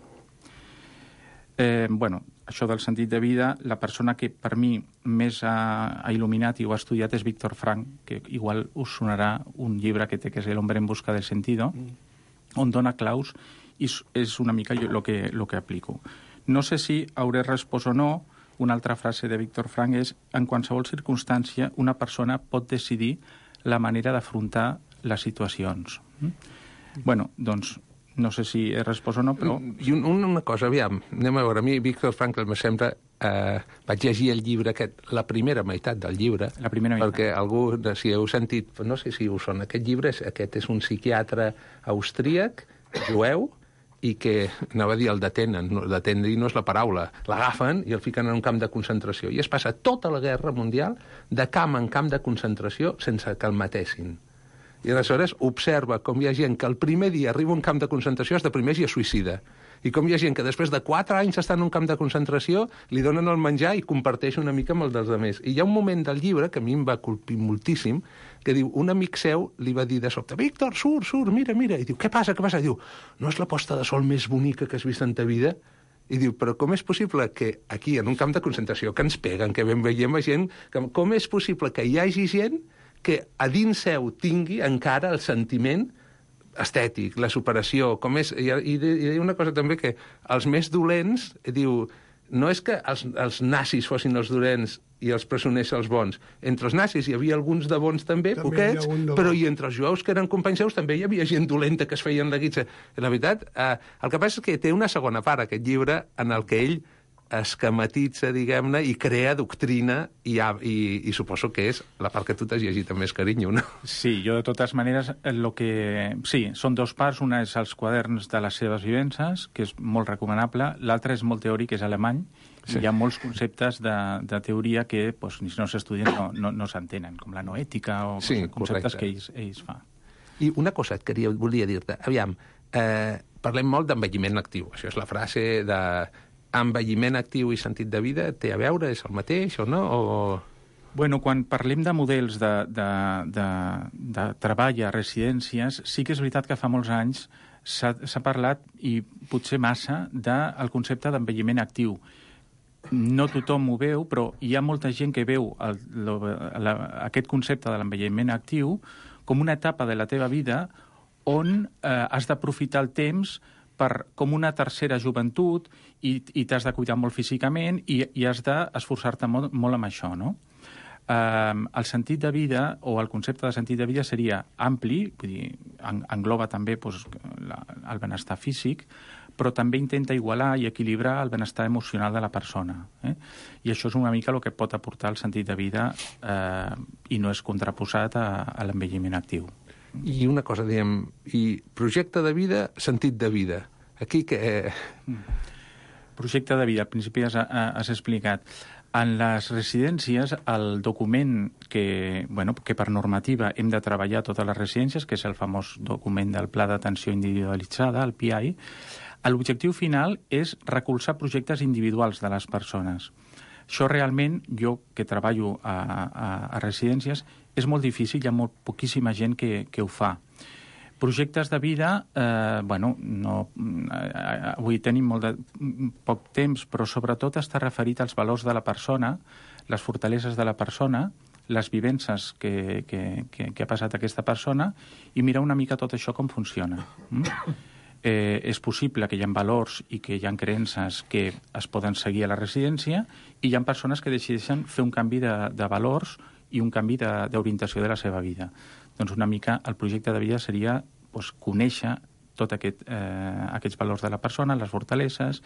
Eh, bueno, això del sentit de vida, la persona que per mi més ha, ha il·luminat i ho ha estudiat és Víctor Frank, que igual us sonarà un llibre que té, que és El hombre en busca del sentido, mm. on dona claus i és una mica el que, lo que aplico. No sé si hauré respost o no. Una altra frase de Víctor Frank és: en qualsevol circumstància una persona pot decidir la manera d'afrontar les situacions. Mm? Bueno, doncs no sé si he respost o no, però... I un, una cosa, aviam, anem a veure, a mi Víctor Frankl me sembla... Eh, vaig llegir el llibre aquest, la primera meitat del llibre, la primera meitat. Perquè algú, si heu sentit, no sé si us sona, aquest llibre, és, aquest és un psiquiatre austríac, jueu, i que, anava a dir, el detenen, no, detenir no és la paraula, l'agafen i el fiquen en un camp de concentració. I es passa tota la guerra mundial de camp en camp de concentració sense que el matessin. I aleshores observa com hi ha gent que el primer dia arriba a un camp de concentració, es deprimeix i es suïcida. I com hi ha gent que després de quatre anys està en un camp de concentració, li donen el menjar i comparteix una mica amb el dels altres. I hi ha un moment del llibre que a mi em va colpir moltíssim, que diu, un amic seu li va dir de sobte: Víctor, surt, surt, mira, mira. I diu, què passa, què passa? I diu, no és la posta de sol més bonica que has vist en ta vida? I diu, però com és possible que aquí, en un camp de concentració, que ens peguen, que ben veiem a gent, que, com és possible que hi hagi gent que a dins seu tingui encara el sentiment estètic, la superació, com és... I, i, i una cosa també, que els més dolents, diu, no és que els, els nazis fossin els dolents i els presoners els bons. Entre els nazis hi havia alguns de bons també, també poquets, però i entre els jueus que eren companys seus també hi havia gent dolenta que es feien la guitza. La veritat, eh, el que passa és que té una segona part, aquest llibre, en el que ell esquematitza, diguem-ne, i crea doctrina, i, i, i suposo que és la part que tu t'has llegit amb més carinyo, no? Sí, jo de totes maneres, el que... Sí, són dos parts, una és els quaderns de les seves vivències, que és molt recomanable, l'altra és molt teòric, és alemany, sí. Hi ha molts conceptes de, de teoria que, pues, si no s'estudien, no, no, no s'entenen, com la noètica o sí, conceptes correcte. Que ells, ells fan. I una cosa et queria, volia dir-te, aviam, eh, parlem molt d'envelliment actiu, això és la frase de... Envelliment actiu i sentit de vida té a veure? És el mateix o no? O... Bueno, quan parlem de models de, de, de, de treball a residències, sí que és veritat que fa molts anys s'ha parlat, i potser massa, del concepte d'envelliment actiu. No tothom ho veu, però hi ha molta gent que veu el, lo, la, aquest concepte de l'envelliment actiu com una etapa de la teva vida on eh, has d'aprofitar el temps per, com una tercera joventut, i, i t'has de cuidar molt físicament i, i has d'esforçar-te molt, molt amb això, no? Um, el sentit de vida, o el concepte de sentit de vida, seria ampli, vull dir, en, engloba també pues, la, el benestar físic, però també intenta igualar i equilibrar el benestar emocional de la persona. Eh? I això és una mica el que pot aportar el sentit de vida eh, i no és contraposat a, a l'envelliment actiu. I una cosa, diem, i projecte de vida, sentit de vida. Aquí que... Eh... Projecte de vida, al principi has, has explicat. En les residències, el document que, bueno, que per normativa hem de treballar a totes les residències, que és el famós document del Pla d'Atenció Individualitzada, el P I, l'objectiu final és recolzar projectes individuals de les persones. Això realment, jo que treballo a, a, a residències, és molt difícil, hi ha molt poquíssima gent que, que ho fa. Projectes de vida, eh, bueno, no, eh, avui tenim molt de, poc temps, però sobretot està referit als valors de la persona, les fortaleses de la persona, les vivències que, que, que, que ha passat aquesta persona, i mirar una mica tot això com funciona. Mm? Eh, és possible que hi ha valors i que hi ha creences que es poden seguir a la residència, i hi ha persones que decideixen fer un canvi de, de valors i un canvi d'orientació de, de la seva vida. Doncs una mica el projecte de vida seria pues, conèixer tot aquest, eh, aquests valors de la persona, les fortaleses,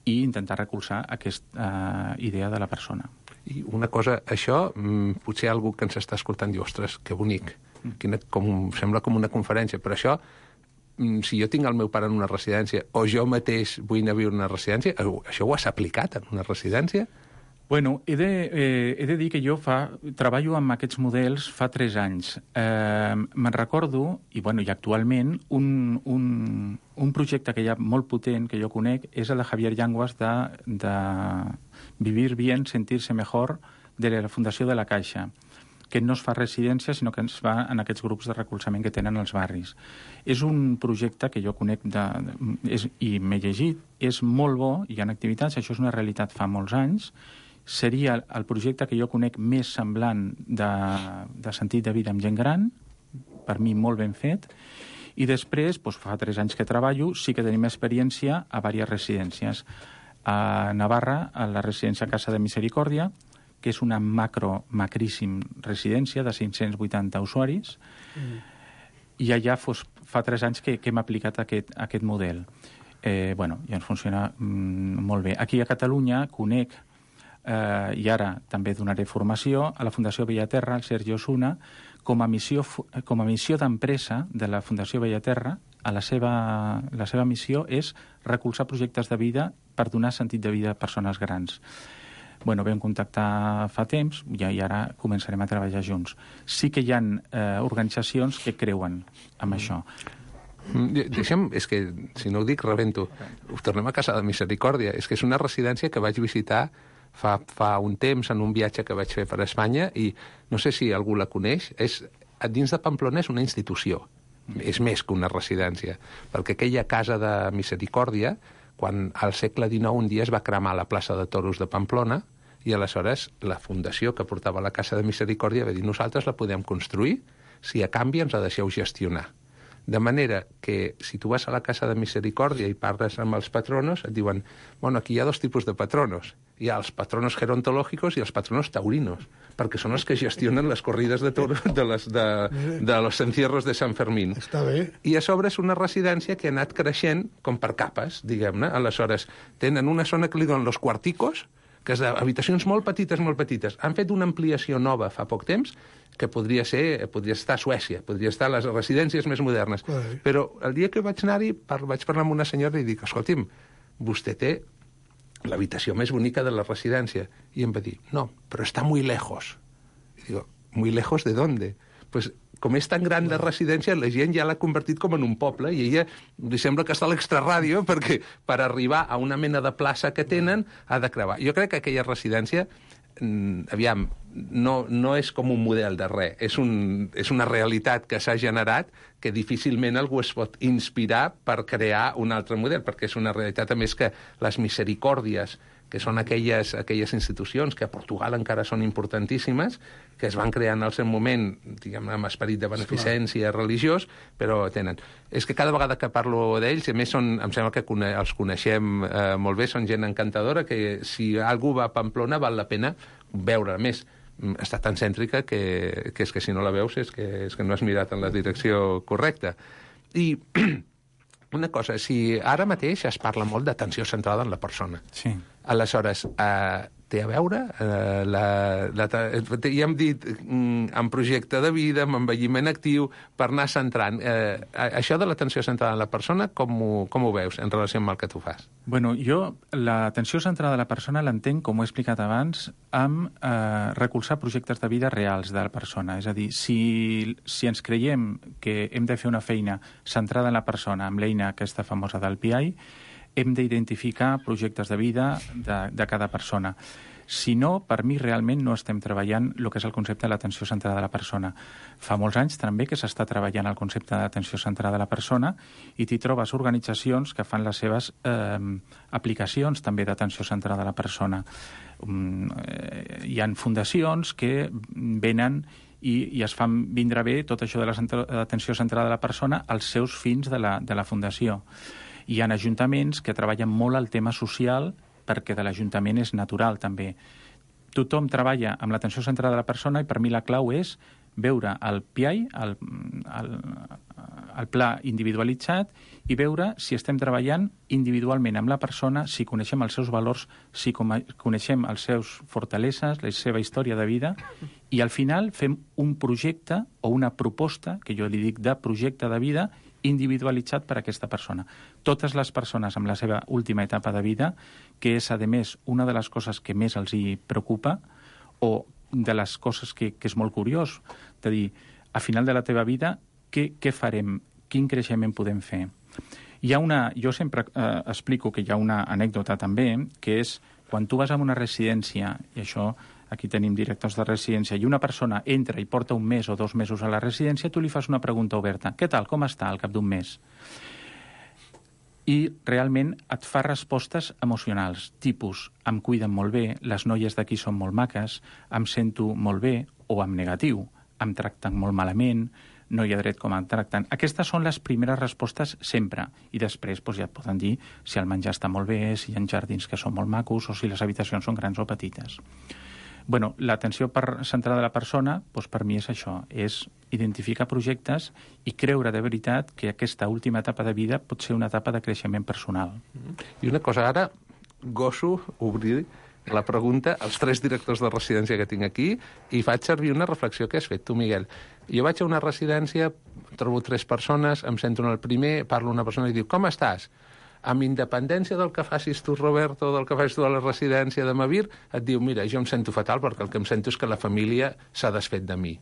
i intentar recolzar aquesta eh, idea de la persona. I una cosa, això, potser algú que ens està escoltant diu, ostres, que bonic, quina, com, sembla com una conferència, però això, si jo tinc el meu pare en una residència, o jo mateix vull anar a viure en una residència, això ho has aplicat en una residència? Bueno, he de, eh, he de dir que jo fa, treballo amb aquests models fa tres anys. Eh, me'n recordo, i, bueno, i actualment, un, un, un projecte que hi ha molt potent, que jo conec, és el de Javier Llanguas de, de Vivir Bien, Sentirse Mejor, de la Fundació de la Caixa, que no es fa residència, sinó que es fa en aquests grups de recolzament que tenen els barris. És un projecte que jo conec de, de, és, i m'he llegit, és molt bo, hi ha activitats, això és una realitat fa molts anys, seria el projecte que jo conec més semblant de, de sentit de vida amb gent gran, per mi molt ben fet, i després, doncs, fa tres anys que treballo, sí que tenim experiència a diverses residències. A Navarra, a la residència Casa de Misericòrdia, que és una macro, macríssim residència de cinc-cents vuitanta usuaris, mm. i allà fos, fa tres anys que, que hem aplicat aquest, aquest model. Eh, bueno, i ens funciona mm, molt bé. Aquí a Catalunya conec, eh, i ara també donaré formació, a la Fundació Bellaterra, el Sergi Osuna, com a missió, com a missió d'empresa de la Fundació Bellaterra, a la seva, la seva missió és recolzar projectes de vida per donar sentit de vida a persones grans. Bueno, vam contactar fa temps i, i ara començarem a treballar junts. Sí que hi ha eh, organitzacions que creuen en això. Deixem, és que, si no ho dic, rebento. Tornem a Casa de Misericòrdia. És que és una residència que vaig visitar fa, fa un temps en un viatge que vaig fer per Espanya i no sé si algú la coneix. És, dins de Pamplona és una institució. És més que una residència. Perquè aquella Casa de Misericòrdia, quan al segle dinou un dia es va cremar la plaça de Toros de Pamplona i aleshores la fundació que portava la Casa de Misericòrdia va dir nosaltres la podem construir si a canvi ens la deixeu gestionar. De manera que si tu vas a la Casa de Misericòrdia i parles amb els patronos, et diuen, bueno, aquí hi ha dos tipus de patronos. Hi ha els patronos gerontològicos i els patronos taurinos, perquè són els que gestionen les corrides de toros de, les, de, de los encierros de Sant Fermín. Està bé. I a sobre és una residència que ha anat creixent com per capes, diguem-ne. Aleshores, tenen una zona que li donen los cuarticos, que és d'habitacions molt petites, molt petites. Han fet una ampliació nova fa poc temps, que podria ser, podria estar a Suècia, podria estar a les residències més modernes. Ai. Però el dia que vaig anar-hi, par vaig parlar amb una senyora i dic, escolti'm, vostè té l'habitació més bonica de la residència. I em va dir, no, però està muy lejos. I digo, muy lejos de dónde? Pues com és tan gran la residència, la gent ja l'ha convertit com en un poble i ella li sembla que està a l'extraràdio perquè per arribar a una mena de plaça que tenen ha de creuar. Jo crec que aquella residència, aviam, no, no és com un model de res, és, un, és una realitat que s'ha generat que difícilment algú es pot inspirar per crear un altre model, perquè és una realitat, a més, que les misericòrdies, que són aquelles, aquelles institucions que a Portugal encara són importantíssimes, que es van crear en el seu moment, diguem, amb esperit de beneficència religiós, però tenen. És que cada vegada que parlo d'ells, a més són, em sembla que cone els coneixem eh, molt bé, són gent encantadora, que si algú va a Pamplona val la pena veure. A més, està tan cèntrica que, que és que si no la veus és que, és que no has mirat en la direcció correcta. I una cosa, si ara mateix es parla molt d'atenció centrada en la persona. Sí. Aleshores, eh, té a veure, eh, la, la, ja hem dit, mm, en projecte de vida, amb envelliment actiu, per anar centrant. Eh, això de l'atenció centrada en la persona, com ho, com ho veus en relació amb el que tu fas? Bueno, jo l'atenció centrada a la persona l'entenc, com ho he explicat abans, amb eh, recolzar projectes de vida reals de la persona. És a dir, si, si ens creiem que hem de fer una feina centrada en la persona amb l'eina aquesta famosa del P I, hem d'identificar projectes de vida de, de cada persona. Si no, per mi realment no estem treballant el que és el concepte de l'atenció centrada a la persona. Fa molts anys també que s'està treballant el concepte d'atenció centrada a la persona i t'hi trobes organitzacions que fan les seves eh, aplicacions també d'atenció centrada a la persona. Um, eh, hi ha fundacions que venen i, i es fan vindre bé tot això de l'atenció centrada a la persona als seus fins de la, de la fundació. Hi ha ajuntaments que treballen molt el tema social perquè de l'Ajuntament és natural també. Tothom treballa amb l'atenció centrada a la persona i per mi la clau és veure el P I, el, el, el pla individualitzat, i veure si estem treballant individualment amb la persona, si coneixem els seus valors, si coneixem els seus fortaleses, la seva història de vida, i al final fem un projecte o una proposta, que jo li dic de projecte de vida, individualitzat per a aquesta persona. Totes les persones amb la seva última etapa de vida, que és, a més, una de les coses que més els hi preocupa, o de les coses que, que és molt curiós, de dir, a final de la teva vida, què, què farem? Quin creixement podem fer? Hi ha una, jo sempre eh, explico que hi ha una anècdota també, que és quan tu vas a una residència, i això aquí tenim directors de residència, i una persona entra i porta un mes o dos mesos a la residència, tu li fas una pregunta oberta. Què tal, com està al cap d'un mes? I realment et fa respostes emocionals, tipus, em cuiden molt bé, les noies d'aquí són molt maques, em sento molt bé, o en negatiu, em tracten molt malament, no hi ha dret com em tracten. Aquestes són les primeres respostes sempre. I després doncs, ja et poden dir si el menjar està molt bé, si hi ha jardins que són molt macos o si les habitacions són grans o petites. Bueno, l'atenció centrada a la persona, doncs per mi és això, és identificar projectes i creure de veritat que aquesta última etapa de vida pot ser una etapa de creixement personal. I una cosa, ara gosso obrir la pregunta als tres directors de residència que tinc aquí i faig servir una reflexió que has fet tu, Miguel. Jo vaig a una residència, trobo tres persones, em sento en el primer, parlo a una persona i diu, com estàs? Amb independència del que facis tu, Roberto, del que facis tu a la residència de Mavir, et diu, mira, jo em sento fatal perquè el que em sento és que la família s'ha desfet de mi.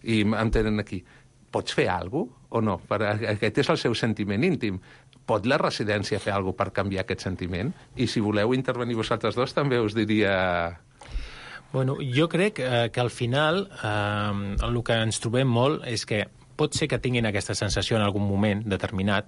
I em tenen aquí. Pots fer alguna cosa o no? Per, aquest és el seu sentiment íntim. Pot la residència fer alguna cosa per canviar aquest sentiment? I si voleu intervenir vosaltres dos, també us diria... Bueno, jo crec eh, que al final eh, el que ens trobem molt és que pot ser que tinguin aquesta sensació en algun moment determinat,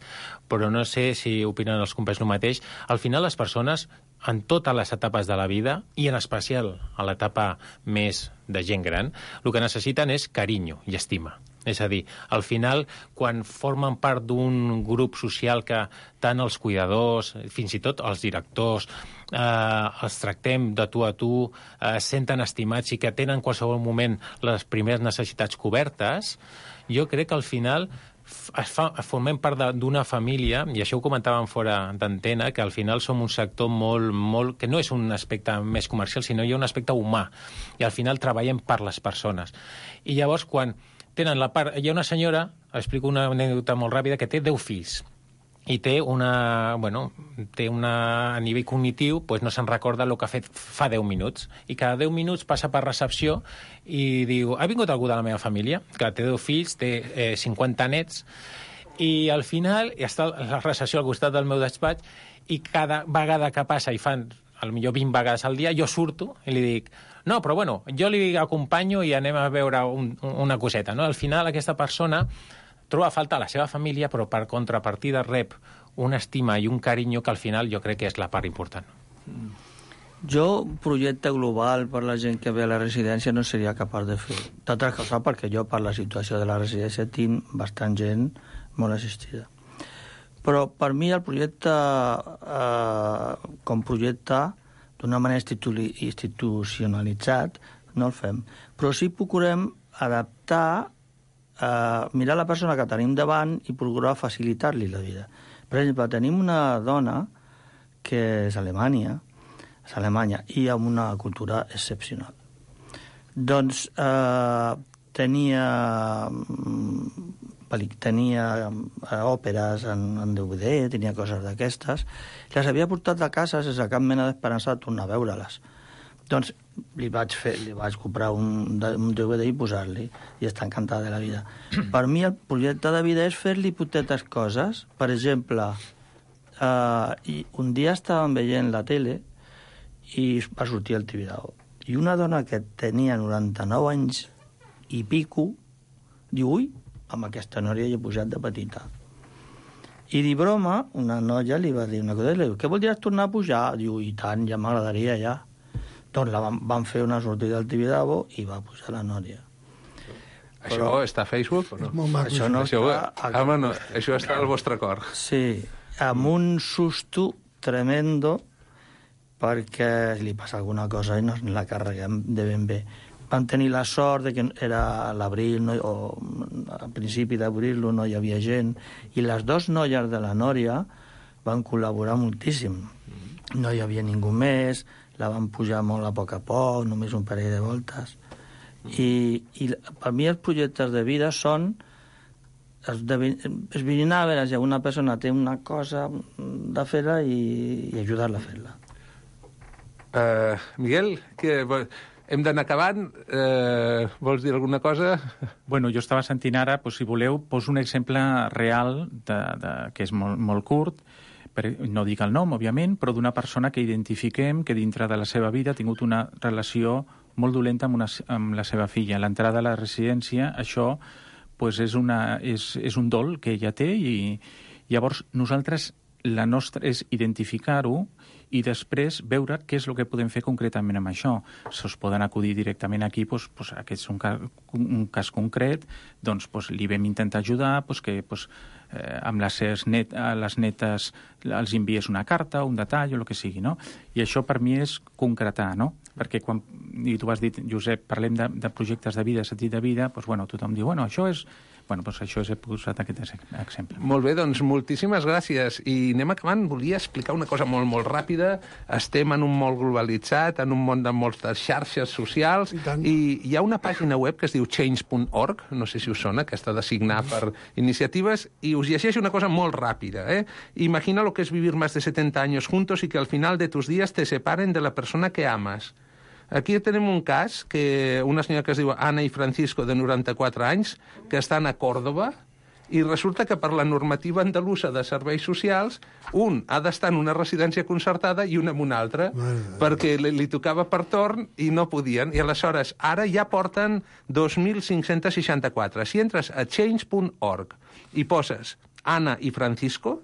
però no sé si opinen els companys el mateix. Al final les persones, en totes les etapes de la vida, i en especial a l'etapa més de gent gran, el que necessiten és carinyo i estima. És a dir, al final, quan formen part d'un grup social que tant els cuidadors, fins i tot els directors, eh, els tractem de tu a tu, eh, senten estimats i que tenen en qualsevol moment les primeres necessitats cobertes, jo crec que al final es fa, formem part d'una família, i això ho comentàvem fora d'antena, que al final som un sector molt, molt, que no és un aspecte més comercial, sinó hi ha un aspecte humà, i al final treballem per les persones. I llavors, quan tenen la part... Hi ha una senyora, explico una anècdota molt ràpida, que té deu fills, i té una, bueno, té una, a nivell cognitiu, doncs no se'n recorda el que ha fet fa deu minuts, i cada deu minuts passa per recepció i diu, ha vingut algú de la meva família? Que té deu fills, té eh, cinquanta nets, i al final està la recepció al costat del meu despatx, i cada vegada que passa, i fan potser vint vegades al dia, jo surto i li dic, no, però bueno, jo li acompanyo i anem a veure un, una coseta, no? Al final aquesta persona troba a faltar la seva família, però per contrapartida rep una estima i un carinyo que al final jo crec que és la part important. Jo, un projecte global per la gent que ve a la residència no seria capaç de fer. D'altres coses, perquè jo per la situació de la residència tinc bastant gent molt assistida. Però per mi el projecte, eh, com projecte, d'una manera institu- institucionalitzat, no el fem. Però sí procurem adaptar, Uh, mirar la persona que tenim davant i procurar facilitar-li la vida. Per exemple, tenim una dona que és Alemanya, és Alemanya, i amb una cultura excepcional. Doncs uh, tenia tenia uh, òperes en, en D V D, tenia coses d'aquestes, les havia portat de casa sense cap mena d'esperança de tornar a veure-les. Doncs li vaig, fer, li vaig comprar un, un D V D i posar-li, i està encantada de la vida. Per mi el projecte de vida és fer-li potetes coses. Per exemple, eh, i un dia estàvem veient la tele i va sortir el Tibidabo. I una dona que tenia noranta-nou anys i pico diu, ui, amb aquesta noia hi he posat de petita. I de broma, una noia li va dir una cosa, li diu, què voldries tornar a pujar? Diu, i tant, ja m'agradaria, ja. Doncs la van, van fer una sortida al Tibidabo i va pujar la nòria. Això Però, està a Facebook o no? Molt maco. Això no això, està... A... Home, no, això està al vostre cor. Sí, amb un susto tremendo perquè li passa alguna cosa i no la carreguem de ben bé. Vam tenir la sort de que era a l'abril, no, o a principi d'abril no hi havia gent, i les dues noies de la nòria van col·laborar moltíssim. No hi havia ningú més, la van pujar molt a poc a poc, només un parell de voltes. I, i per mi els projectes de vida són esbrinar a veure si una persona té una cosa de fer-la i, i ajudar-la a fer-la. Uh, Miguel, que, hem d'anar acabant. Uh, vols dir alguna cosa? Bueno, jo estava sentint ara, pues, si voleu, poso un exemple real de, de, que és molt, molt curt, per, no dic el nom, òbviament, però d'una persona que identifiquem que dintre de la seva vida ha tingut una relació molt dolenta amb, una, amb la seva filla. L'entrada a la residència, això pues és, una, és, és un dol que ella té i llavors nosaltres, la nostra és identificar-ho i després veure què és el que podem fer concretament amb això. Si us poden acudir directament aquí, doncs, doncs, aquest és un cas, un cas concret, doncs, doncs li vam intentar ajudar, doncs, que doncs, eh, amb les, net, les netes els envies una carta, un detall o el que sigui, no? I això per mi és concretar, no? Perquè quan, i tu has dit, Josep, parlem de, de projectes de vida, sentit de vida, doncs, bueno, tothom diu, bueno, això és... Bueno, doncs això he posat aquest exemple. Molt bé, doncs moltíssimes gràcies. I anem acabant. Volia explicar una cosa molt, molt ràpida. Estem en un món globalitzat, en un món de moltes xarxes socials, i, i hi ha una pàgina web que es diu change punt org, no sé si us sona, aquesta de signar per iniciatives, i us llegeixo una cosa molt ràpida. ¿eh? Imagina lo que es vivir más de setenta años juntos y que al final de tus días te separen de la persona que amas. Aquí tenim un cas, que una senyora que es diu Anna i Francisco, de noranta-quatre anys, que estan a Còrdova, i resulta que per la normativa andalusa de serveis socials, un ha d'estar en una residència concertada i un en una altra, perquè li, li tocava per torn i no podien. I aleshores, ara ja porten dos mil cinc-cents seixanta-quatre. Si entres a change punt org i poses Anna i Francisco,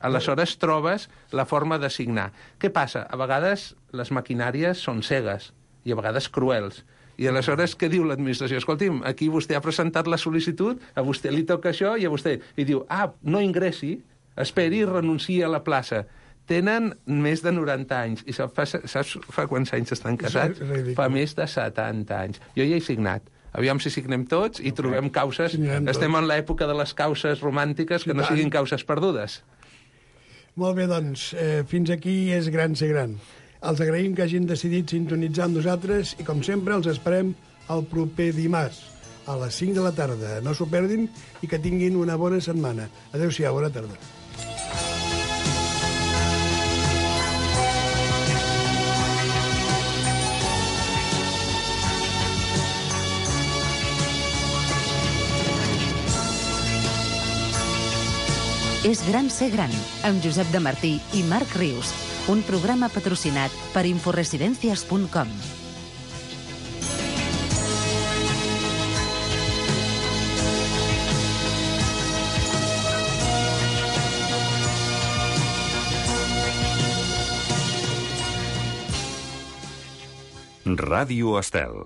aleshores trobes la forma de signar. Què passa? A vegades les maquinàries són cegues i a vegades cruels. I aleshores què diu l'administració? Escolti'm, aquí vostè ha presentat la sol·licitud, a vostè li toca això i a vostè... I diu, ah, no ingressi, esperi i renunciï a la plaça. Tenen més de noranta anys. I saps fa, saps fa quants anys estan casats? Fa més de setanta anys. Jo ja he signat. Aviam si signem tots i trobem causes. Estem en l'època de les causes romàntiques que no siguin causes perdudes. Molt bé, doncs, eh, fins aquí és gran ser gran. Els agraïm que hagin decidit sintonitzar amb nosaltres i, com sempre, els esperem el proper dimarts a les cinc de la tarda. No s'ho perdin i que tinguin una bona setmana. Adéu-siau, bona tarda. És gran ser gran, amb Josep de Martí i Marc Rius, un programa patrocinat per inforesidencias punt com. Ràdio Estel.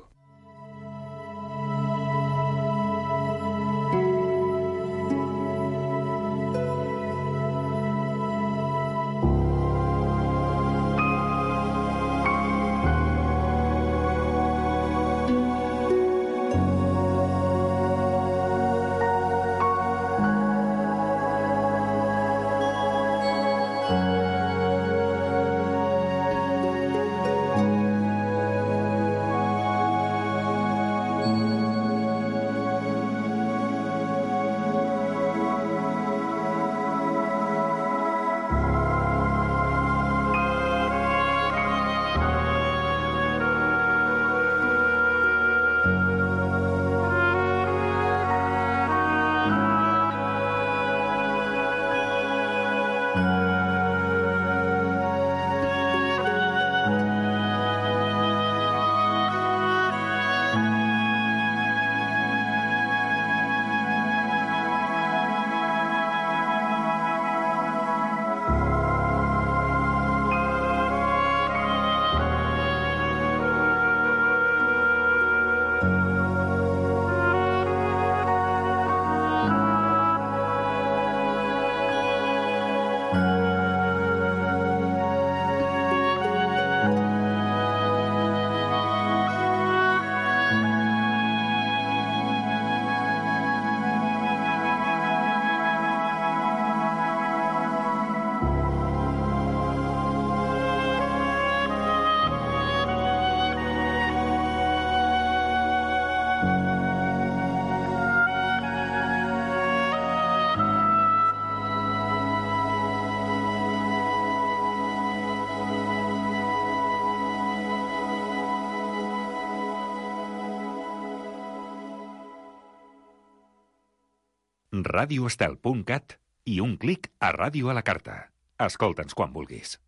radioestel punt cat i un clic a Ràdio a la Carta. Escolta'ns quan vulguis.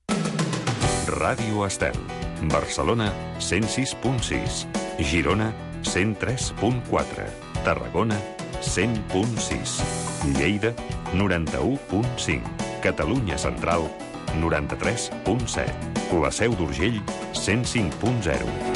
Ràdio Estel. Barcelona, cent sis punt sis. Girona, cent tres punt quatre. Tarragona, cent punt sis. Lleida, noranta-u punt cinc. Catalunya Central, noranta-tres punt set. La Seu d'Urgell, cent cinc punt zero.